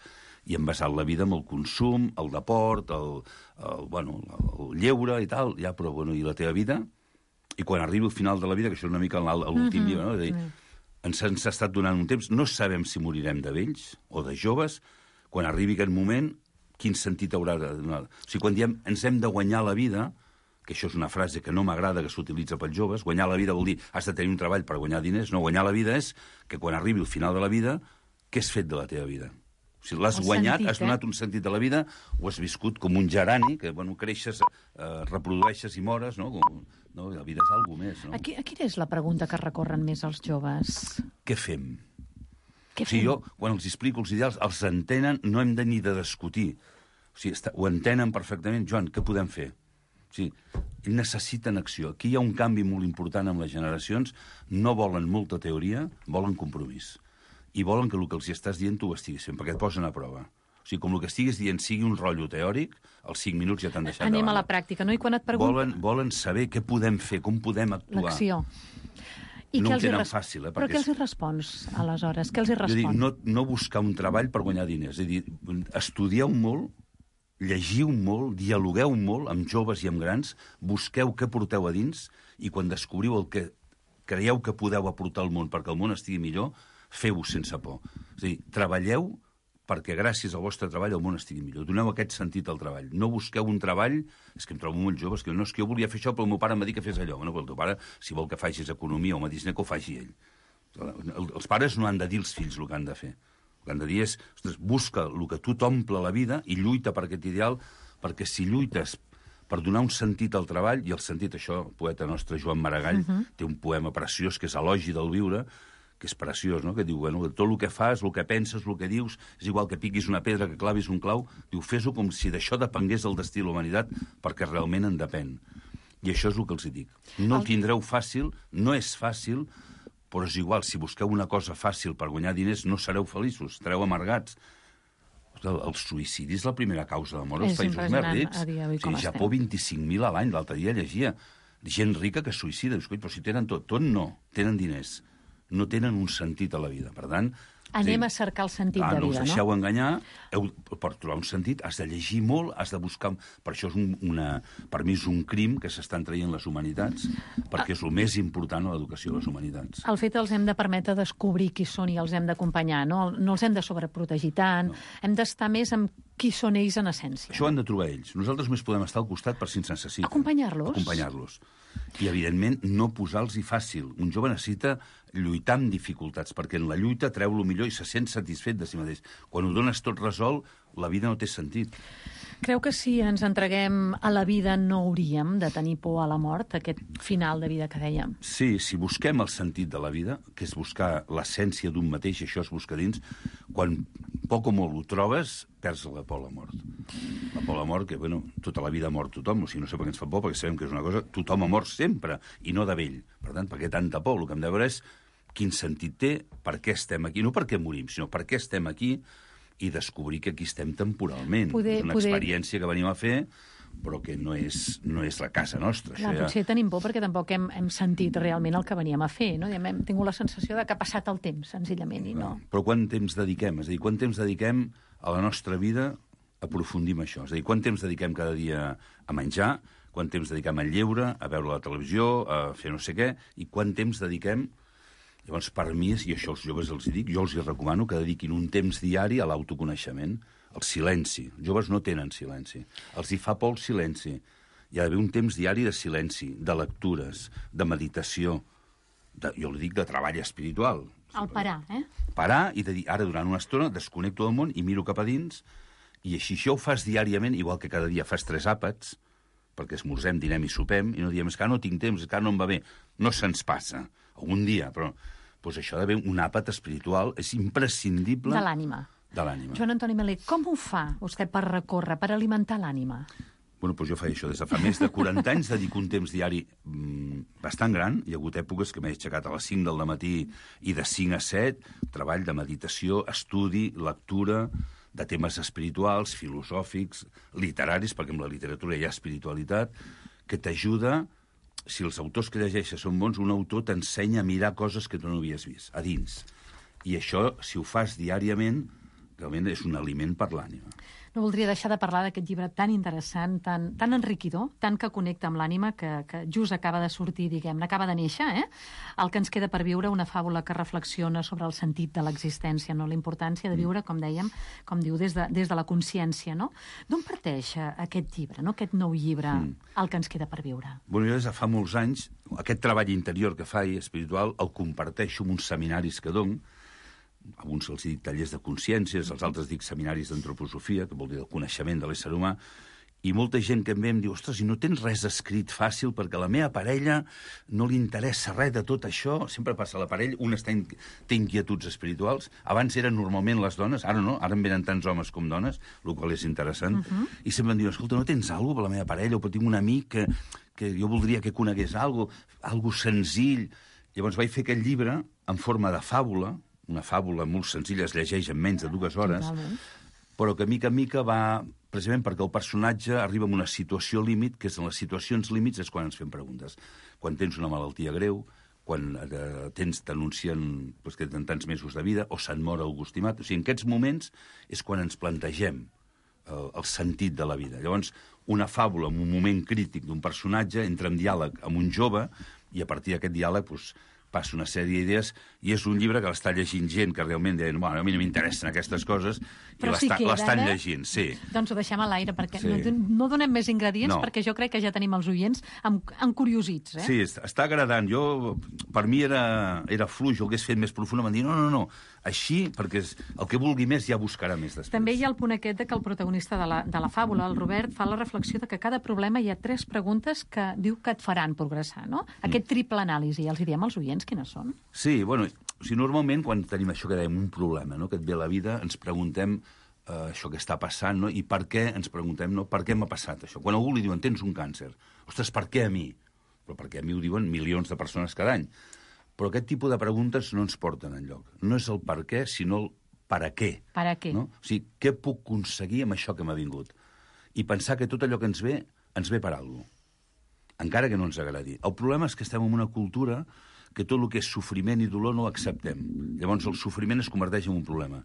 I hem basat la vida en el consum, el deport, el lleure i tal, ja, però, i la teva vida? I quan arribi al final de la vida, que això és una mica l'últim llibre, no? És a dir, ens ha estat donant un temps, no sabem si morirem de vells o de joves, quan arribi aquest moment, quin sentit haurà de donar. O sigui, quan diem ens hem de guanyar la vida, que això és una frase que no m'agrada que s'utilitza pels joves, guanyar la vida vol dir has de tenir un treball per guanyar diners, no, guanyar la vida és que quan arribi al final de la vida, què has fet de la teva vida? O sigui, l'has guanyat, has donat un sentit a la vida, o has viscut com un gerani, que, creixes, reprodueixes i mores, no? La vida és alguna més, no? Quina és la pregunta que recorren més els joves? Què fem? O sigui, jo, quan els explico els ideals, els entenen, no hem de ni de discutir. O sigui, ho entenen perfectament. Joan, què podem fer? O sigui, necessiten acció. Aquí hi ha un canvi molt important amb les generacions. No volen molta teoria, volen compromís. I volen que el que els estàs dient tu ho estiguis fent, perquè et posen a prova. O sigui, com el que estiguis dient sigui un rotllo teòric, als 5 minuts ja t'han deixat Anem a la pràctica, no? I quan et pregunten... Volen saber què podem fer, com podem actuar. L'acció. No ho tenen fàcil, Però què els hi respons, aleshores? Què els hi respon? No buscar un treball per guanyar diners. És a dir, estudieu molt, llegiu molt, dialogueu molt amb joves i amb grans, busqueu què porteu a dins i quan descobriu el que creieu que podeu aportar al món perquè el món estigui millor, feu-ho sense por. És a dir, treballeu perquè gràcies al vostre treball el món estigui millor. Doneu aquest sentit al treball. No busqueu un treball... És que em trobo molt joves, que no és que jo volia fer això, però el meu pare em va dir que fes allò. Bueno, el teu pare, si vol que facis economia o medicina, que ho faci ell. Els pares no han de dir als fills el que han de fer. El que han de dir és, ostres, busca el que tu t'omple la vida i lluita per aquest ideal, perquè si lluites per donar un sentit al treball, i el sentit, això, el poeta nostre Joan Maragall té un poema preciós que és Elogi del viure, que és preciós, no? Que diu, tot el que fas, el que penses, el que dius, és igual que piquis una pedra, que clavis un clau, diu, fes-ho com si d'això depengués el destí de la humanitat, perquè realment en depèn. I això és el que els dic. No ho tindreu fàcil, no és fàcil, però és igual, si busqueu una cosa fàcil per guanyar diners, no sereu feliços, estareu amargats. El suïcidi és la primera causa de mort als països més rics. O Japó, 25.000 a l'any, l'altre dia llegia. Gent rica que es suïcida. Però si tenen tot no, tenen diners. No tenen un sentit a la vida. Per tant... Anem a cercar el sentit de vida, no? No us deixeu enganyar. Per trobar un sentit has de llegir molt, has de buscar... Per això per mi és un crim que s'estan traient les humanitats, perquè és el més important a l'educació de les humanitats. El fet els hem de permetre descobrir qui són i els hem d'acompanyar, no? No els hem de sobreprotegir tant, hem d'estar més amb qui són ells en essència. Això ho han de trobar ells. Nosaltres només podem estar al costat per si ens necessiten. Acompanyar-los. I, evidentment, no posar-los-hi fàcil. Un jove necessita lluitar amb dificultats, perquè en la lluita treu el millor i se sent satisfet de si mateix. Quan ho dones tot resolt, la vida no té sentit. Creu que si ens entreguem a la vida no hauríem de tenir por a la mort, aquest final de vida que dèiem? Sí, si busquem el sentit de la vida, que és buscar l'essència d'un mateix, i això és buscar dins, quan poc o molt ho trobes, perds la por a la mort. La por a la mort, que, tota la vida ha mort tothom, o sigui, no sé per què ens fa por, perquè sabem que és una cosa... Tothom ha mort sempre, i no de vell. Per tant, per què tanta por? El que hem de veure és quin sentit té, per què estem aquí, no per què morim, sinó per què estem aquí, i descobrir que aquí estem temporalment. És una experiència que venim a fer, però que no és la casa nostra. Clar, potser tenim por perquè tampoc hem sentit realment el que veníem a fer, no? Hem tingut la sensació de que ha passat el temps, senzillament, i no. Però quant temps dediquem? És a dir, quant temps dediquem a la nostra vida a aprofundir en això? És a dir, quant temps dediquem cada dia a menjar, quant temps dediquem al lleure, a veure la televisió, a fer no sé què, i quant temps dediquem... Llavors, per mi, i això als joves els dic, jo els recomano que dediquin un temps diari a l'autoconeixement, al silenci. Els joves no tenen silenci. Els hi fa por el silenci. Hi ha d'haver un temps diari de silenci, de lectures, de meditació, jo li dic de treball espiritual. El parar, Parar i de dir, ara durant una estona desconnecto del món i miro cap a dins, i així això ho fas diàriament, igual que cada dia fas 3 àpats, perquè esmorzem, dinem i sopem, i no diem, és que no tinc temps, és que no em va bé. No se'ns passa. Un dia, però això d'haver un àpat espiritual és imprescindible... De l'ànima. de l'ànima. Joan Antoni Melé, com ho fa vostè per recórrer, per alimentar l'ànima? Bueno, doncs jo faig això des de fa més de 40 anys, dedico un temps diari bastant gran. Hi ha hagut èpoques que m'he aixecat a les 5 del matí i de 5 a 7, treball de meditació, estudi, lectura, de temes espirituals, filosòfics, literaris, perquè amb la literatura hi ha espiritualitat, que t'ajuda, si els autors que llegeixes són bons, un autor t'ensenya a mirar coses que tu no havies vist, a dins. I això, si ho fas diàriament, realment és un aliment per l'ànima. No voldria deixar de parlar d'aquest llibre tan interessant, tan enriquidor, tant que connecta amb l'ànima, que just acaba de sortir, diguem-ne, acaba de néixer, El que ens queda per viure, una fàbula que reflexiona sobre el sentit de l'existència, no? La importància de viure, com dèiem, com diu, des de la consciència, no? D'on parteix aquest llibre, no? Aquest nou llibre, El que ens queda per viure? Bueno, jo des de fa molts anys, aquest treball interior que faig, espiritual, el comparteixo en uns seminaris que dono. Alguns els dic tallers de consciències, els altres dic seminaris d'antroposofia, que vol dir el coneixement de l'ésser humà, i molta gent que em ve em diu, ostres, i no tens res escrit fàcil perquè a la meva parella no li interessa res de tot això, sempre passa a la parella, una té inquietuds espirituals, abans eren normalment les dones, ara no, ara em venen tants homes com dones, el qual és interessant, i sempre em diuen, escolta, no tens alguna cosa per la meva parella, o tinc un amic que jo voldria que conegués alguna senzill. Llavors vaig fer aquest llibre en forma de fàbula, una fàbula molt senzilla, es llegeix en menys de 2 hores, però que mica en mica va, precisament perquè el personatge arriba a una situació límit, que és en les situacions límits és quan ens fem preguntes. Quan tens una malaltia greu, quan t'anuncien que tenen tants mesos de vida, o se'n mor algú estimat. O sigui, en aquests moments és quan ens plantegem el sentit de la vida. Llavors, una fàbula en un moment crític d'un personatge entra en diàleg amb un jove i a partir d'aquest diàleg passa una sèrie d'idees, i és un llibre que l'està llegint gent que realment deien, bueno, a mi no m'interessen aquestes coses, i l'estan llegint, sí. Doncs ho deixem a l'aire, perquè no donem més ingredients, perquè jo crec que ja tenim els oients encuriosits. Sí, està agradant. Per mi era fluix, ho hagués fet més profund, em van dir, no, així, perquè el que vulgui més ja buscarà més després. També hi ha el punt aquest que el protagonista de la fàbula, el Robert, fa la reflexió de que cada problema hi ha 3 preguntes que diu que et faran progressar, no? Aquest triple anàlisi, els hi diem als oients quines són? Sí, bueno, normalment quan tenim això que dèiem, un problema, no? Que et ve a la vida, ens preguntem això que està passant, no? I per què ens preguntem, no? Per què m'ha passat això? Quan a algú li diuen, tens un càncer, ostres, per què a mi? Però perquè a mi ho diuen milions de persones cada any. Però aquest tipus de preguntes no ens porten enlloc. No és el per què, sinó el per a què. Per a què? No? O sigui, què puc aconseguir amb això que m'ha vingut? I pensar que tot allò que ens ve per alguna cosa. Encara que no ens agradi. El problema és que estem en una cultura que tot el que és sofriment i dolor no ho acceptem. Llavors el sofriment es converteix en un problema.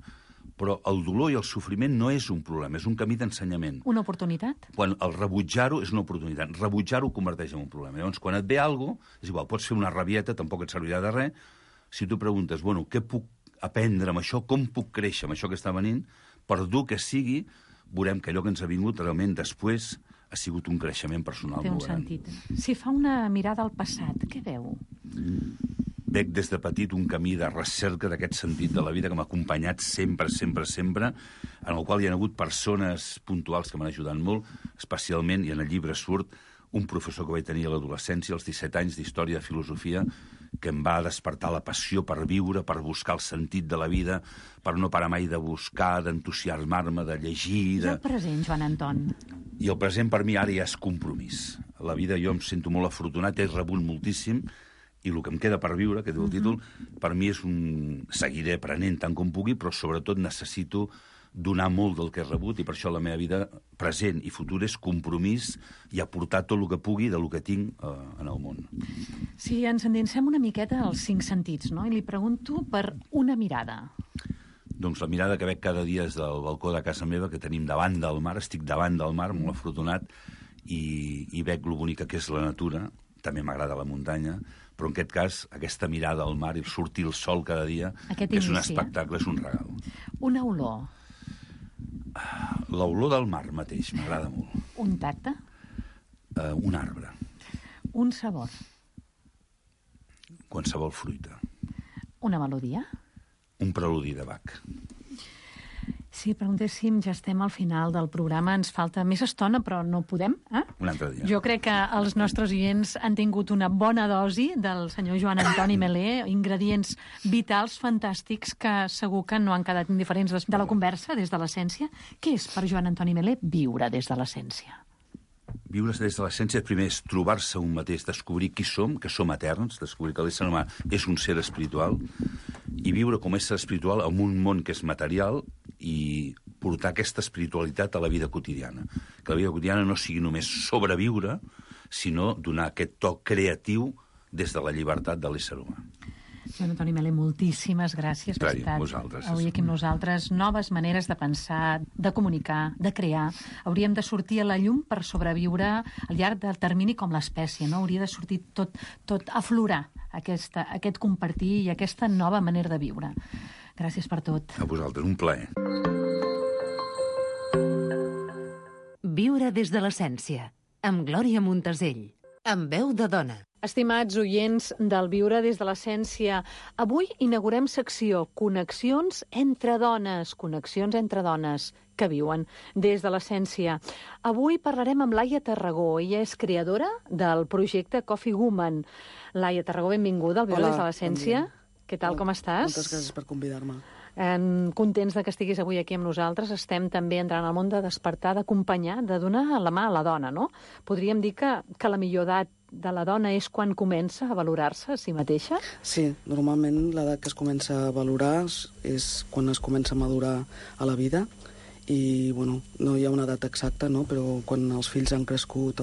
Però el dolor i el sofriment no és un problema, és un camí d'ensenyament. Una oportunitat? Quan el rebutjar-ho és una oportunitat. Rebutjar-ho converteix en un problema. Llavors, quan et ve alguna cosa, és igual, pots fer una rabieta, tampoc et servirà de res. Si tu preguntes, bueno, què puc aprendre amb això, com puc créixer amb això que està venint, per dur que sigui, veurem que allò que ens ha vingut realment després ha sigut un creixement personal molt gran. Té un sentit. Si fa una mirada al passat, què veu? Veig des de petit un camí de recerca d'aquest sentit de la vida que m'ha acompanyat sempre, en el qual hi ha hagut persones puntuals que m'han ajudat molt, especialment, i en el llibre surt, un professor que vaig tenir a l'adolescència, als 17 anys d'història de filosofia, que em va despertar la passió per viure, per buscar el sentit de la vida, per no parar mai de buscar, d'entusiasmar-me, de llegir... I el present, Joan Anton? I el present per mi ara ja és compromís. A la vida jo em sento molt afortunat, he rebut moltíssim, i el que em queda per viure, que diu el títol, per mi és seguiré aprenent tant com pugui, però sobretot necessito donar molt del que he rebut, i per això la meva vida present i futura és compromís i aportar tot el que pugui del que tinc en el món. Si ens endinsem una miqueta als 5 sentits, no? I li pregunto per una mirada. Doncs la mirada que veig cada dia és del balcó de casa meva, que tenim davant del mar, estic davant del mar, molt afortunat, i veig lo bonica que és la natura, també m'agrada la muntanya, però en aquest cas, aquesta mirada al mar i sortir el sol cada dia, és un espectacle, és un regal. Una olor. L'olor del mar mateix, m'agrada molt. Un tacte? Un arbre. Un sabor? Qualsevol fruita. Una melodia? Un preludi de Bach. Si preguntéssim, ja estem al final del programa, ens falta més estona, però no podem, Un altre dia. Jo crec que els nostres oients han tingut una bona dosi del senyor Joan Antoni Melé, ingredients vitals, fantàstics, que segur que no han quedat indiferents de la conversa, des de l'essència. Què és per Joan Antoni Melé viure des de l'essència? Viure des de l'essència, primer, és trobar-se un mateix, descobrir qui som, que som eterns, descobrir que l'ésser humà és un ser espiritual, i viure com a ésser espiritual en un món que és material i portar aquesta espiritualitat a la vida quotidiana. Que la vida quotidiana no sigui només sobreviure, sinó donar aquest toc creatiu des de la llibertat de l'ésser humà. Joan Antoni Melé, moltíssimes gràcies per estar avui aquí amb nosaltres. Noves maneres de pensar, de comunicar, de crear. Hauríem de sortir a la llum per sobreviure al llarg del termini com l'espècie, no? Hauria de sortir tot aflorar aquest compartir i aquesta nova manera de viure. Gràcies per tot. A vosaltres, un plaer. Viure des de l'essència, amb Glòria Montesell, amb veu de dona. Estimats oients del Viure des de l'essència, avui inaugurem secció Connexions entre dones que viuen des de l'essència. Avui parlarem amb Laia Tarragó. Ella és creadora del projecte Coffee Woman. Laia Tarragó, benvinguda al Viure des de l'essència. Què tal, com estàs? Moltes gràcies per convidar-me. Contents de que estiguis avui aquí amb nosaltres. Estem també entrant al món de despertar, d'acompanyar, de donar la mà a la dona, no? Podríem dir que la millor edat de la dona és quan comença a valorar-se a si mateixa? Sí, normalment l'edat que es comença a valorar és quan es comença a madurar a la vida i, bueno, no hi ha una edat exacta, no? Però quan els fills han crescut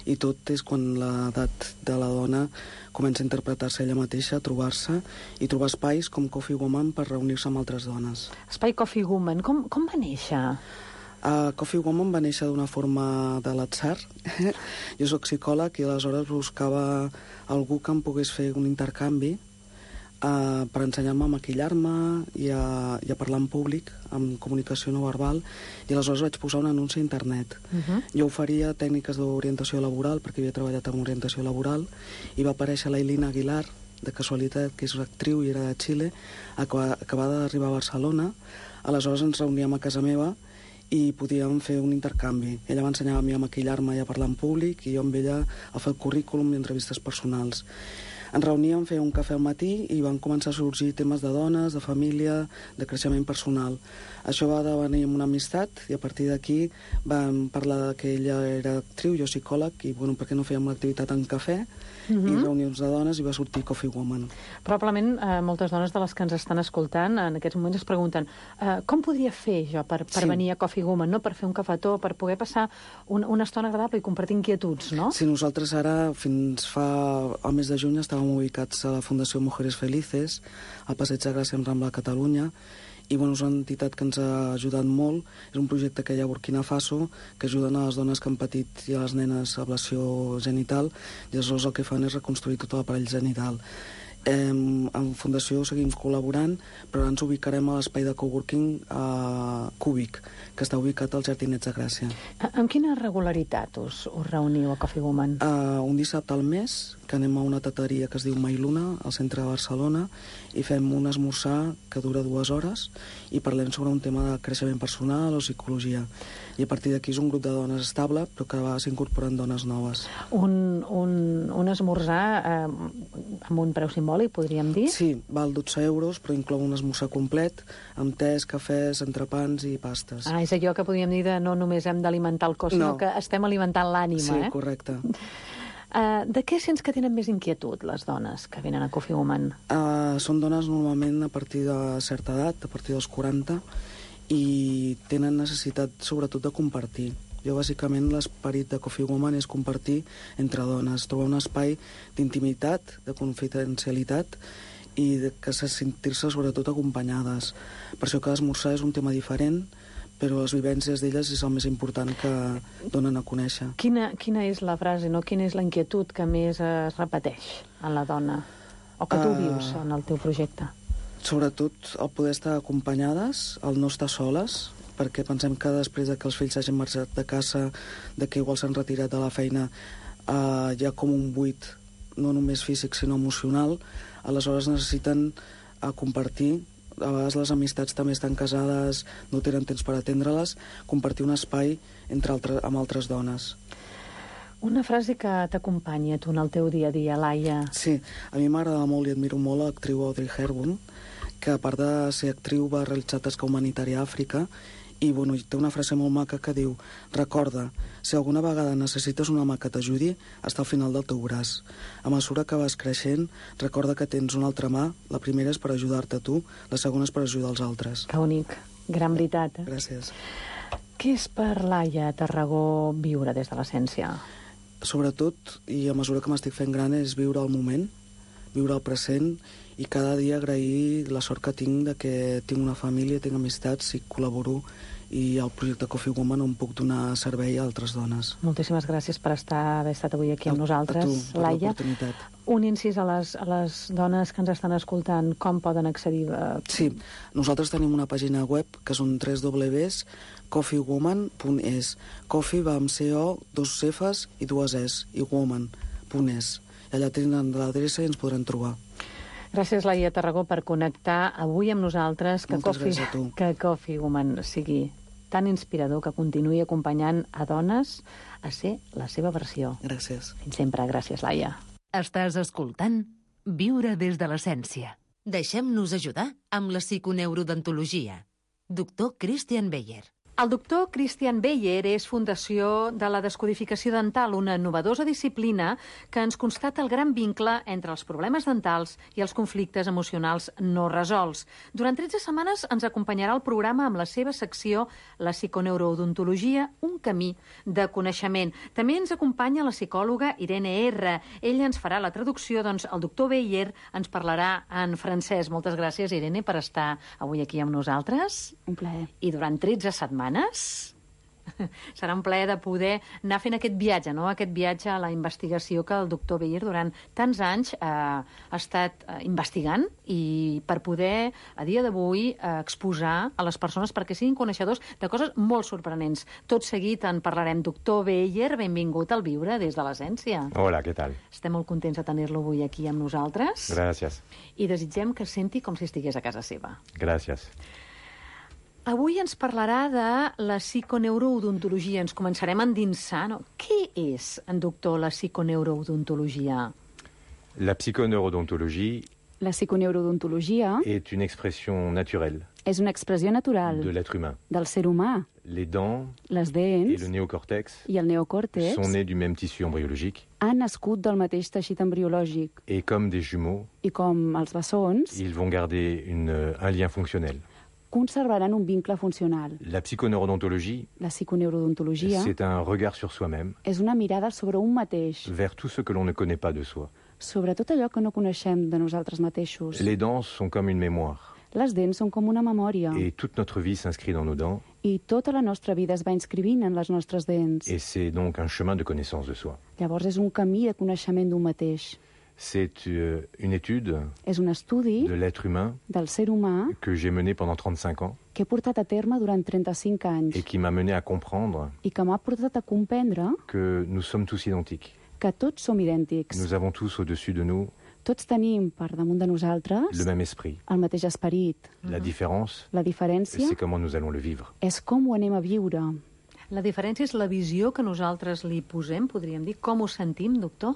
i tot és quan l'edat de la dona comença a interpretar-se ella mateixa, a trobar-se i trobar espais com Coffee Woman per reunir-se amb altres dones. Espai Coffee Woman, com va néixer? Coffee Woman va néixer d'una forma de l'atzar. Jo sóc psicòleg i aleshores buscava algú que em pogués fer un intercanvi per ensenyar-me a maquillar-me i a parlar en públic, amb comunicació no verbal, i aleshores vaig posar un anunci a internet. Jo oferia tècniques d'orientació laboral, perquè havia treballat en orientació laboral, i va aparèixer l'Ailina Aguilar, de casualitat, que és una actriu i era de Xile, acabada d'arribar a Barcelona. Aleshores ens reuníem a casa meva i podíem fer un intercanvi. Ella m'ensenyava a mi a maquillar-me i a parlar en públic, i jo amb ella a fer el currículum i entrevistes personals. Ens reuníem, feia un cafè al matí i van començar a sorgir temes de dones, de família, de creixement personal. Això va devenir una amistat i a partir d'aquí vam parlar que ella era actriu, jo psicòleg, i bueno, per què no fèiem l'activitat en cafè i reunions de dones i va sortir Coffee Woman. Probablement moltes dones de les que ens estan escoltant en aquests moments es pregunten com podria fer jo per venir a Coffee Woman, no? Per fer un cafetó, per poder passar una estona agradable i compartir inquietuds, no? Sí, nosaltres ara, fins fa el mes de juny, estàvem ubicats a la Fundació Mujeres Felices, al Passeig de Gràcia en Rambla, a Catalunya, i bueno, és una entitat que ens ha ajudat molt. És un projecte que hi ha a Burkina Faso, que ajuden a les dones que han patit i a les nenes ablació genital, i aleshores el que fan és reconstruir tot l'aparell genital. En Fundació seguim col·laborant, però ara ens ubicarem a l'espai de coworking Cúbic, que està ubicat als Jardinets de Gràcia. Amb quina regularitat us reuniu a Coffee Woman? Un dissabte al mes, que anem a una tateria que es diu Mailuna, al centre de Barcelona, i fem un esmorzar que dura 2 hores i parlem sobre un tema de creixement personal o psicologia. I a partir d'aquí és un grup de dones estable, però que va s'incorporen dones noves. Un esmorzar amb un preu simbòlic, podríem dir? Sí, val 12 euros, però inclou un esmorzar complet, amb tés, cafès, entrepans i pastes. És allò que podríem dir de no només hem d'alimentar el cos, sinó que estem alimentant l'ànima. Sí, correcte. De què sents que tenen més inquietud les dones que venen a Coffee Woman? Són dones normalment a partir de certa edat, a partir dels 40, i tenen necessitat sobretot de compartir. Jo, bàsicament, l'esperit de Coffee Woman és compartir entre dones, trobar un espai d'intimitat, de confidencialitat i que sentir-se sobretot acompanyades. Per això que l'esmorzar és un tema diferent, però les vivències d'elles és el més important que donen a conèixer. Quina és la frase, no? Quina és la inquietud que més es repeteix en la dona? O que tu vius en el teu projecte? Sobretot el poder estar acompanyades, el no estar soles, perquè pensem que després de que els fills s'hagin marxat de casa, de que igual s'han retirat de la feina, hi ha com un buit, no només físic, sinó emocional. Aleshores necessiten compartir a vegades les amistats també estan casades, no tenen temps per atendre-les, compartir un espai amb altres dones. Una frase que t'acompanya tu en el teu dia a dia, Laia. Sí, a mi m'agrada molt i admiro molt l'actriu Audrey Hepburn, que a part de ser actriu va realitzar tasca humanitària a Àfrica i té una frase molt maca que diu: recorda, si alguna vegada necessites una mà que t'ajudi, està al final del teu braç. A mesura que vas creixent, recorda que tens una altra mà. La primera és per ajudar-te a tu, la segona és per ajudar els altres. Que bonic, gran veritat. Gràcies. Què és per Laia Tarragó viure des de l'essència? Sobretot, i a mesura que m'estic fent gran, és viure el moment, viure el present, i cada dia agrair la sort que tinc de que tinc una família, tinc amistats i col·laboro, i al projecte Coffee Woman on puc donar servei a altres dones. Moltíssimes gràcies per haver estat avui aquí amb nosaltres, a tu, per Laia. l'oportunitat. Un incís a les dones que ens estan escoltant, com poden accedir? Sí, nosaltres tenim una pàgina web que són www.coffeewoman.es. Coffee va amb CO, 2 Fs i 2 Es, i woman.es. I allà tenen l'adreça i ens podran trobar. Gràcies, Laia Tarragó, per connectar avui amb nosaltres, que Coffee Woman sigui tan inspirador, que continuï acompanyant a dones a ser la seva versió. Gràcies. Fins sempre. Gràcies, Laia. Estàs escoltant Viure des de l'essència. Deixem-nos ajudar amb la psiconeurodontologia. Doctor Christian Beyer. El doctor Christian Beyer és fundació de la descodificació dental, una novedosa disciplina que ens constata el gran vincle entre els problemes dentals i els conflictes emocionals no resolts. Durant 13 setmanes ens acompanyarà el programa amb la seva secció La psiconeurodontologia, un camí de coneixement. També ens acompanya la psicòloga Irene R. Ella ens farà la traducció, doncs el doctor Beyer ens parlarà en francès. Moltes gràcies, Irene, per estar avui aquí amb nosaltres. Un plaer. I durant 13 setmanes serà un plaer de poder anar fent aquest viatge, no? Aquest viatge a la investigació que el doctor Beyer durant tants anys ha estat investigant, i per poder, a dia d'avui, exposar a les persones perquè siguin coneixedors de coses molt sorprenents. Tot seguit en parlarem. Doctor Beyer, benvingut al Viure des de l'essència. Hola, què tal? Estem molt contents de tenir-lo avui aquí amb nosaltres. Gràcies. I desitgem que es senti com si estigués a casa seva. Gràcies. Avui ens parlarà de la psiconeurodontologia. Ens començarem a endinsar, no? Què és, doctor, la psiconeurodontologia? La psychoneurodontologie La psiconeurodontologia est une expression naturelle és una expressió natural de l'être humain. del ser humà. Les dents Les et dents le néocortex i el neocòrtex sont nés du même tissu embryologique han nascut del mateix teixit embriològic et comme des jumeaux, i com els bessons ils vont garder un lien fonctionnel. conservaran un vincle funcional. La psychoneurodontologie, La psiconeurodontologia c'est un regard sur soi-même, és una mirada sobre un mateix, vers tout ce que l'on ne connaît pas de soi. sobre tot allò que no coneixem de nosaltres mateixos. Les dents sont comme une mémoire Les dents són com una memòria et toute notre vie s'inscrit dans nos dents i tota la nostra vida es va inscrivint en les nostres dents. et c'est donc un chemin de connaissance de soi. Llavors és un camí de coneixement d'un mateix. C'est une étude És un estudi de l'être humain del ser humà que j'ai mené pendant 35 ans que he portat a terme durant 35 anys et qui m'a mené à comprendre i que m'ha portat a comprendre que nous sommes tous identiques. que tots som idèntics. Nous avons tous au-dessus de nous Tots tenim per damunt de nosaltres le même esprit. el mateix esperit. La différence, La diferència c'est comment nous allons le vivre. és com ho anem a viure. La diferència és la visió que nosaltres li posem, podríem dir. Com ho sentim, doctor?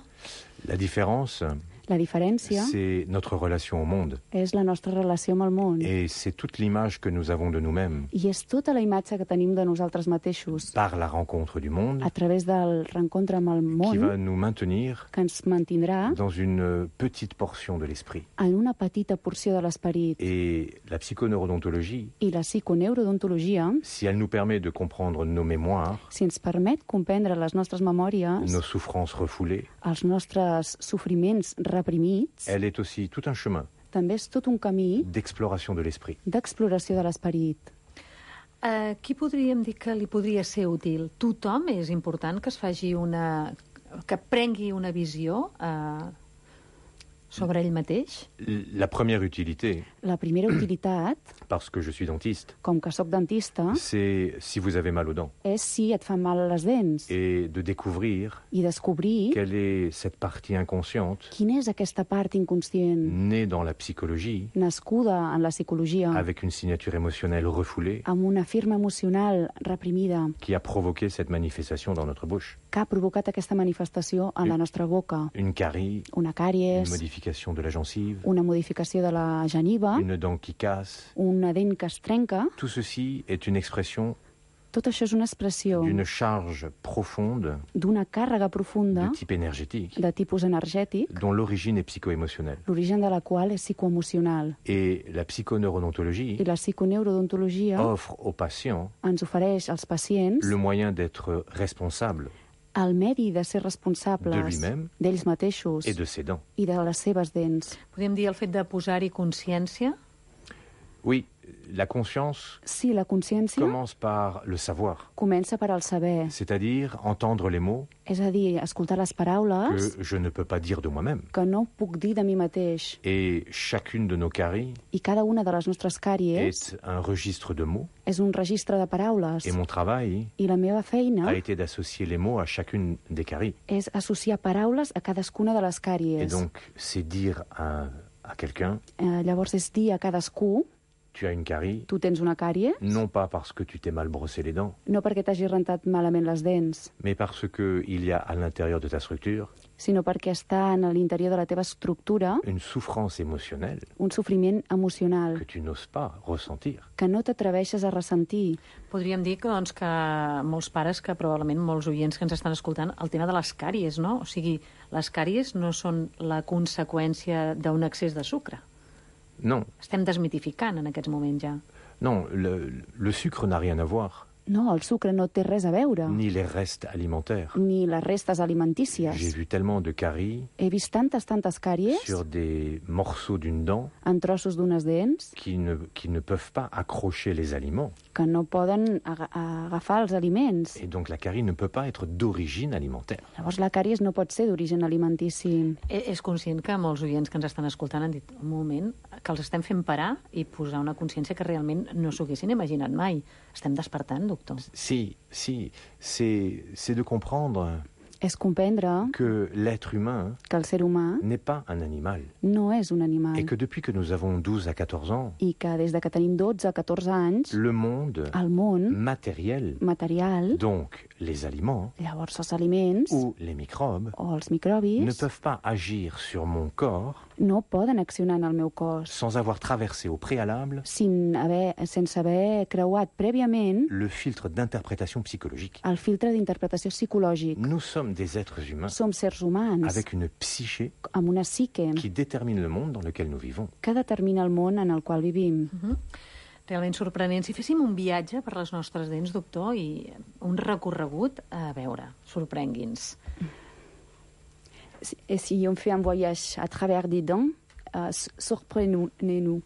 La différence, La diferència c'est notre relation au monde. és la nostra relació amb el món Et c'est toute l'image que nous avons de nous-mêmes i és tota la imatge que tenim de nosaltres mateixos par la rencontre du monde a través del reencontre amb el qui va món nous maintenir que ens mantindrà dans une petite portion de l'esprit. en una petita porció de l'esperit. Et la psychoneurodontologie, I la psiconeurodontologia, si elle nous permet de comprendre nos mémoires, si ens permet comprendre les nostres memòries, nos souffrances refoulées, els nostres sofriments reprimits, elle est aussi tout un chemin també és tot un camí d'exploration de l'esprit. d'exploració de l'esperit. Qui podríem dir que li podria ser útil? Tothom és important que es faci que prengui una visió sobre ell mateix? La première utilité, La primera utilitat, parce que je suis dentiste, com que sóc dentista, c'est si vous avez mal aux dents. és si et fan mal les dents Et de découvrir i descobrir quelle est cette partie inconsciente quina és aquesta part inconscient née dans la psychologie nascuda en la psicologia avec une signature émotionnelle refoulée amb una firma emocional reprimida qui a provoqué cette manifestation dans notre bouche. que ha provocat aquesta manifestació en la nostra boca. Une carie, Una une càries, modification de la gencive, una modificació de la geniva, une dent qui casse. una dent que es trenca. Tout ceci est une expression Tot això és una expressió d'une charge profonde d'una càrrega profunda de type énergétique de tipus energètic, dont l'origine est psycho-émotionnelle. l'origen de la qual és psicoemocional. Et la psychoneurodontologie I la psiconeurodontologia offre aux patients ens ofereix als pacients le moyen d'être responsable el medi de ser de responsables lui-même d'ells mateixos et de ses dents. i de les seves dents. Podem dir el fet de posar-hi consciència? Oui, la conscience Sí, la consciència commence par le savoir, comença per al saber, c'est-à-dire entendre les mots és a dir, escoltar les paraules que je ne peux pas dire de moi-même. que no puc dir de mi mateix. Et chacune de nos caries I cada una de les nostres càries est un registre de mots. és un registre de paraules. Et mon travail I la meva feina a été d'associer les mots à chacune des caries. és associar paraules a cadascuna de les Et càries. donc, c'est dire à quelqu'un, Llavors és dir a cadascú, tu as une carie, tu tens una càrie, non pas parce que tu t'es mal brossé les dents, no perquè t'hagis rentat malament les dents, mais parce qu'il y a à l'intérieur de ta structure sinó perquè està en l'interior de la teva estructura une souffrance émotionnelle un sofriment emocional que tu n'oses pas ressentir. que no t'atreveixes a ressentir. Podríem dir que, doncs, que molts pares, que probablement molts oients que ens estan escoltant, el tema de les càries, no? O sigui, les càries no són la conseqüència d'un excés de sucre. Non, Estem desmitificant en aquests moments ja. non, le sucre n'a rien à voir, No, el sucre no té res a veure, ni les restes alimentaires. ni les restes J'ai alimentícies. vu tellement de caries He vist tantes càries sur des morceaux d'une dent en trossos d'unes dents qui ne peuvent pas accrocher les aliments. que no poden agafar els aliments. Et donc la carie ne peut pas être d'origine alimentaire. Llavors la càries no pot ser d'origen alimentici. És conscient que molts oients que ens estan escoltant han dit un moment que els estem fent parar i posar una consciència que realment no s'ho haguessin imaginat mai. Estem despertant, doctor. Si, c'est de comprendre És comprendre que l'être humain que el ser humà n'est pas un animal. no és un animal Et que depuis que nous avons 12 à 14 ans, i que des de que tenim 12 a 14 anys le monde el món matériel, material, donc les aliments llavors els aliments ou les microbes, o els ne microbis peuvent pas agir sur mon corps no poden accionar en el meu cos sans avoir traversé au préalable sense haver creuat prèviament le filtre d'interprétation psychologique. el filtre d'interpretació psicològic. Nous sommes des êtres humains Som sers humans avec une psyché amb una psique qui détermine le monde dans lequel nous vivons. que determina el món en el qual vivim. Realment sorprenent. Si féssim un viatge per les nostres dents, doctor, i un recorregut, a veure, sorprengui'ns. Si on fait un voyage à travers des dents, surprenez-nous.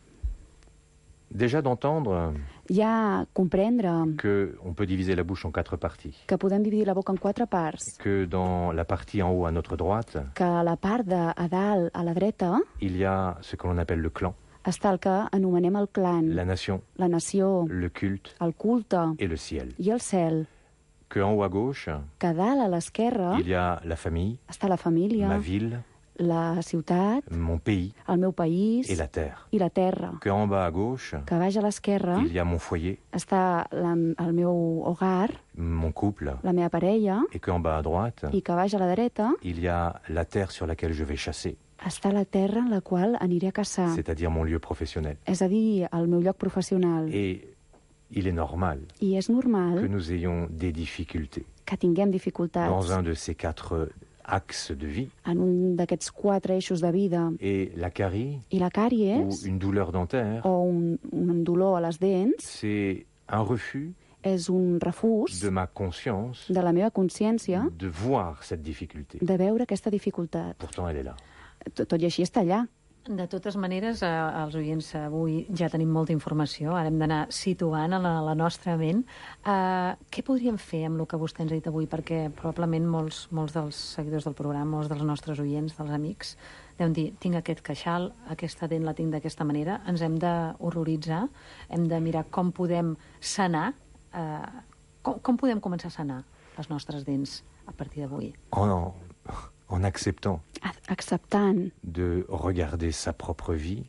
Déjà d'entendre Ja comprendre qu'on peut diviser la bouche en 4 parties. que podem dividir la boca en 4 parts, Que dans la partie en haut à notre droite, que a la part de a dalt, a la dreta, il y a ce que l'on appelle le clan, està el que anomenem el clan, la nation, la nació, le culte el culte et le ciel. i el cel. Que en haut à gauche, Que a dalt, a l'esquerra, il y a la famille, està la família, ma ville, la ciutat, mon pays el meu país et la terre. i la terra. Que en bas à gauche, Que baix a l'esquerra il y a mon foyer, està el meu hogar, mon couple, la meva parella, et qu'en bas à droite, i que baix a la dreta il y a la terre sur laquelle je vais chasser, està la terra en la qual aniré a caçar, c'est-à-dire mon lieu professionnel. és a dir, el meu lloc professional. Et il est normal I és que normal nous ayons des difficultés que tinguem dans dificultats un de ces 4 axes de vie. en un d'aquests 4 eixos de vida. Et la carie I la ou càries, une douleur dentaire, o un dolor a les dents, c'est un refus és un refús de ma conscience de la meva consciència de voir cette difficulté. de veure aquesta dificultat. Pourtant, elle est là. Tot i així està allà. De totes maneres, els oients avui ja tenim molta informació, ara hem d'anar situant a la nostra ment. Què podríem fer amb el que vostè ens ha dit avui? Perquè probablement molts dels seguidors del programa, molts dels nostres oients, dels amics, deuen dir, tinc aquest queixal, aquesta dent la tinc d'aquesta manera, ens hem d'horroritzar, hem de mirar com podem sanar, com podem començar a sanar les nostres dents a partir d'avui? En acceptant Acceptant de regarder sa propre vie,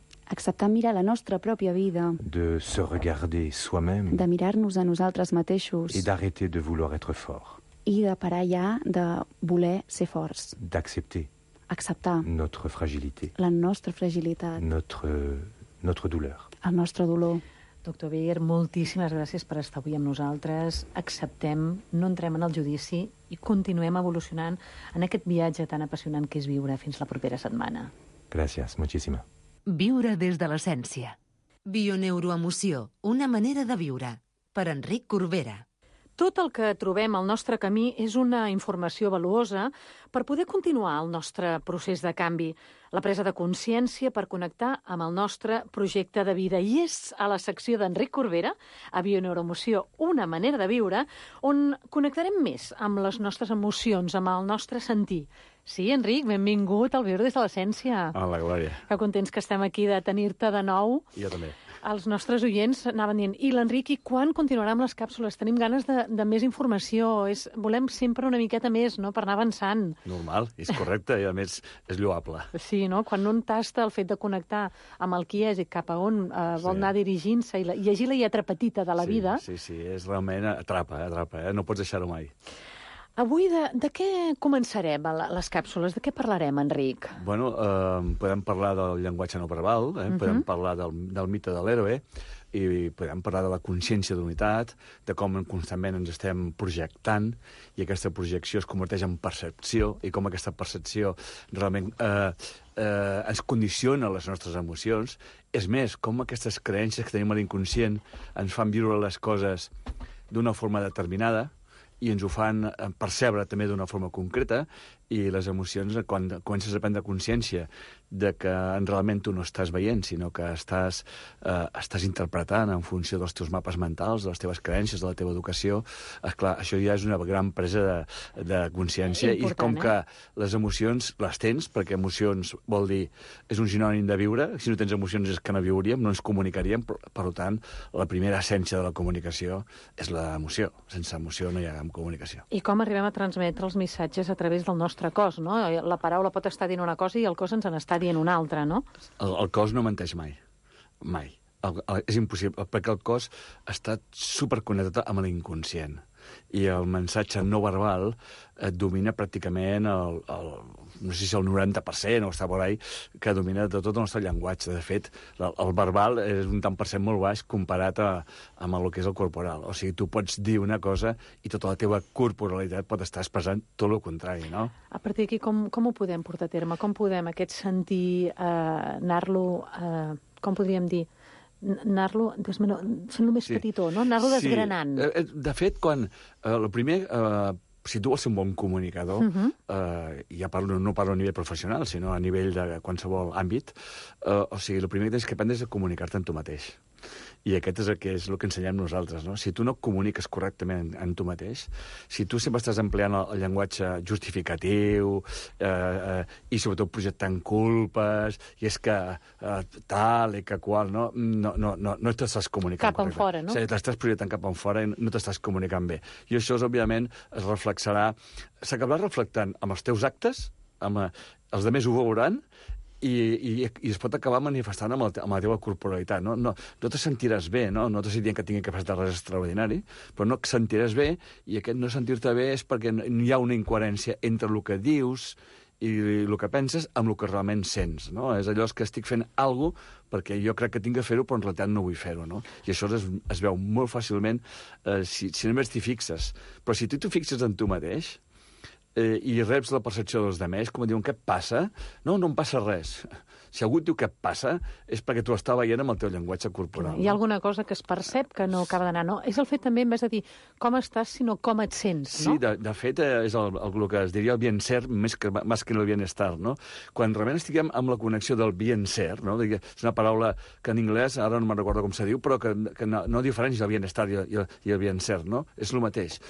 mirar la nostra pròpia vida, de se regarder soi-même de mirar-nos a nosaltres mateixos et d'arrêter de vouloir être fort, i de parar ja de voler ser forts. d'accepter Acceptar notre fragilité, la nostra fragilitat, notre douleur. el nostre dolor. Doctor Beyer, moltíssimes gràcies per estar avui amb nosaltres. Acceptem, no entrem en el judici i continuem evolucionant en aquest viatge tan apassionant que és viure. Fins la propera setmana. Gracias, muchísima. Viure des de l'essència. Bioneuroemoció, una manera de viure. Per Enric Corbera. Tot el que trobem al nostre camí és una informació valuosa per poder continuar el nostre procés de canvi, la presa de consciència per connectar amb el nostre projecte de vida. I és a la secció d'Enric Corbera, a Bioneuroemoció, una manera de viure, on connectarem més amb les nostres emocions, amb el nostre sentir. Sí, Enric, benvingut al Viure des de l'Essència. Hola, Glòria. Que contents que estem aquí de tenir-te de nou. Jo també. Els nostres oients anaven dient, i l'Enric, i quan continuarà amb les càpsules? Tenim ganes de més informació, volem sempre una miqueta més, no?, per anar avançant. Normal, és correcte, i a més és lloable. Sí, no?, quan un tasta el fet de connectar amb el qui és i cap a on vol anar dirigint-se i llegir la lletra petita de la vida. Sí, és realment atrapa, no pots deixar-ho mai. Avui de què començarem les càpsules? De què parlarem, Enric? Bueno, podem parlar del llenguatge no verbal, podem parlar del mite de l'héroe, i podem parlar de la consciència d'unitat, de com constantment ens estem projectant, i aquesta projecció es converteix en percepció, i com aquesta percepció realment ens condiciona les nostres emocions. És més, com aquestes creences que tenim a l'inconscient ens fan viure les coses d'una forma determinada, i ens ho fan percebre també d'una forma concreta, i les emocions, quan comences a prendre consciència de que realment tu no estàs veient, sinó que estàs interpretant en funció dels teus mapes mentals, de les teves creences, de la teva educació, esclar, això ja és una gran presa de consciència. I com que les emocions les tens, perquè emocions vol dir, és un sinònim de viure, si no tens emocions és que no viuríem, no ens comunicaríem, per tant, la primera essència de la comunicació és l'emoció. Sense emoció no hi ha comunicació. I com arribem a transmetre els missatges a través del nostre cos, no? La paraula pot estar dient una cosa i el cos ens n'està dient una altra, no? El cos no menteix mai. Mai. És impossible, perquè el cos està superconnectat amb l'inconscient. I el missatge no verbal domina pràcticament no sé si el 90% o està por ahí, que domina de tot el nostre llenguatge. De fet, el verbal és un tant per cent molt baix comparat amb el que és el corporal. O sigui, tu pots dir una cosa i tota la teva corporalitat pot estar expressant tot el contrari, no? A partir d'aquí, com ho podem portar a terme? Com podem aquest sentir, anar-lo, com podríem dir, anar-lo, fent-lo més petitó, no? Anar-lo desgranant. De fet, el primer, si tu vols ser un bon comunicador, ja no parlo a nivell professional, sinó a nivell de qualsevol àmbit, o sigui, el primer que tens que aprendre és a comunicar-te amb tu mateix. I aquest és el que ensenyem nosaltres, no? Si tu no comuniques correctament en tu mateix, si tu sempre estàs empleant el llenguatge justificatiu i sobretot projectant culpes, i és que tal i que qual, no t'estàs comunicant cap enfora, no? O sigui, t'estàs projectant cap enfora i no t'estàs comunicant bé. I això, òbviament, s'acabarà reflectant amb els teus actes, els altres ho veuran, i es pot acabar manifestant amb la teva corporalitat. No te sentiràs bé, no t'estic dient que tingui capacitat de res extraordinari, però no et sentiràs bé, i aquest no sentir-te bé és perquè hi ha una incoherència entre el que dius i el que penses amb el que realment sents, no? És allò que estic fent alguna cosa perquè jo crec que tinc que fer-ho, però en realitat no vull fer-ho, no? I això es veu molt fàcilment si només t'hi fixes. Però si tu t'ho fixes en tu mateix, i reps la percepció dels altres, com diuen, què et passa? No, no em passa res. Si algú et diu què et passa, és perquè tu estàs veient amb el teu llenguatge corporal. Hi ha alguna cosa que es percep que no acaba d'anar, no? És el fet també, en vez de dir com estàs, sinó com et sents, no? Sí, de fet, és el que es diria el bien-ser més que el bienestar, no? Quan realment estiguem amb la connexió del bien-ser, no? És una paraula que en anglès, ara no me'n recordo com se diu, però que no diferència el bienestar i el bien-ser, no? És el mateix.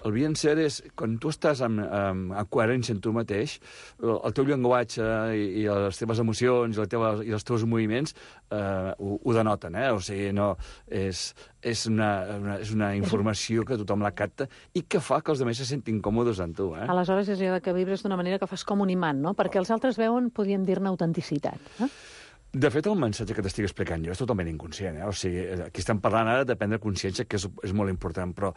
El bien-ser és, quan tu estàs en coherència en tu mateix, el teu llenguatge i les teves emocions i els teus moviments ho denoten, O sigui, no, és una informació que tothom la capta i que fa que els altres se sentin còmodes amb tu, Aleshores és allò que vibres d'una manera que fas com un imant, no? Perquè els altres veuen, podríem dir-ne, autenticitat, De fet, el missatge que t'estic explicant jo és totalment inconscient. O sigui, aquí estem parlant ara de prendre consciència, que és molt important, però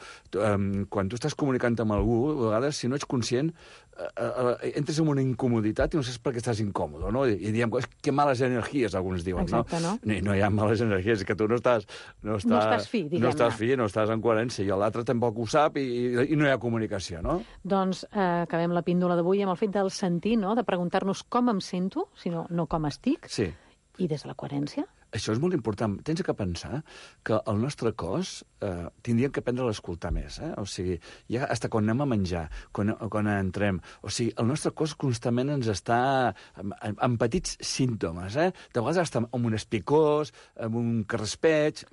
quan tu estàs comunicant amb algú, a vegades, si no ets conscient, entres en una incomoditat i no saps per què estàs incòmode, no? I diem, que males energies, alguns diuen, exacte, no? No hi ha males energies, que tu no estàs fi, diguem-ne. No estàs fi, no estàs en coherència, i l'altre tampoc ho sap i no hi ha comunicació, no? Doncs acabem la píndola d'avui amb el fet del sentir, no? De preguntar-nos com em sento, sinó no com estic. Sí. I des de la coherència? Això és molt important. Tens que pensar que el nostre cos tindríem que aprendre a l'escoltar més. O sigui, ja fins quan anem a menjar, quan entrem... O sigui, el nostre cos constantment ens està amb petits símptomes. De vegades està amb un espicós, amb un carraspeig...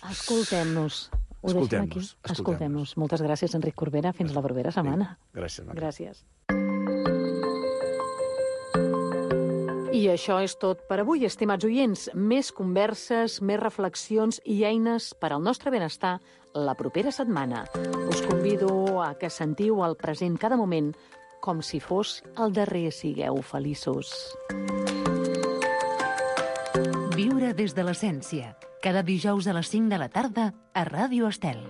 Escoltem-nos. Escoltem-nos. Moltes gràcies, Enric Corbera. Fins la propera setmana. Gràcies, Marc. Gràcies. I això és tot per avui, estimats oients. Més converses, més reflexions i eines per al nostre benestar la propera setmana. Us convido a que sentiu el present cada moment com si fos el darrer. Sigueu feliços. Viure des de l'essència. Cada dijous a les 5 de la tarda a Ràdio Estel.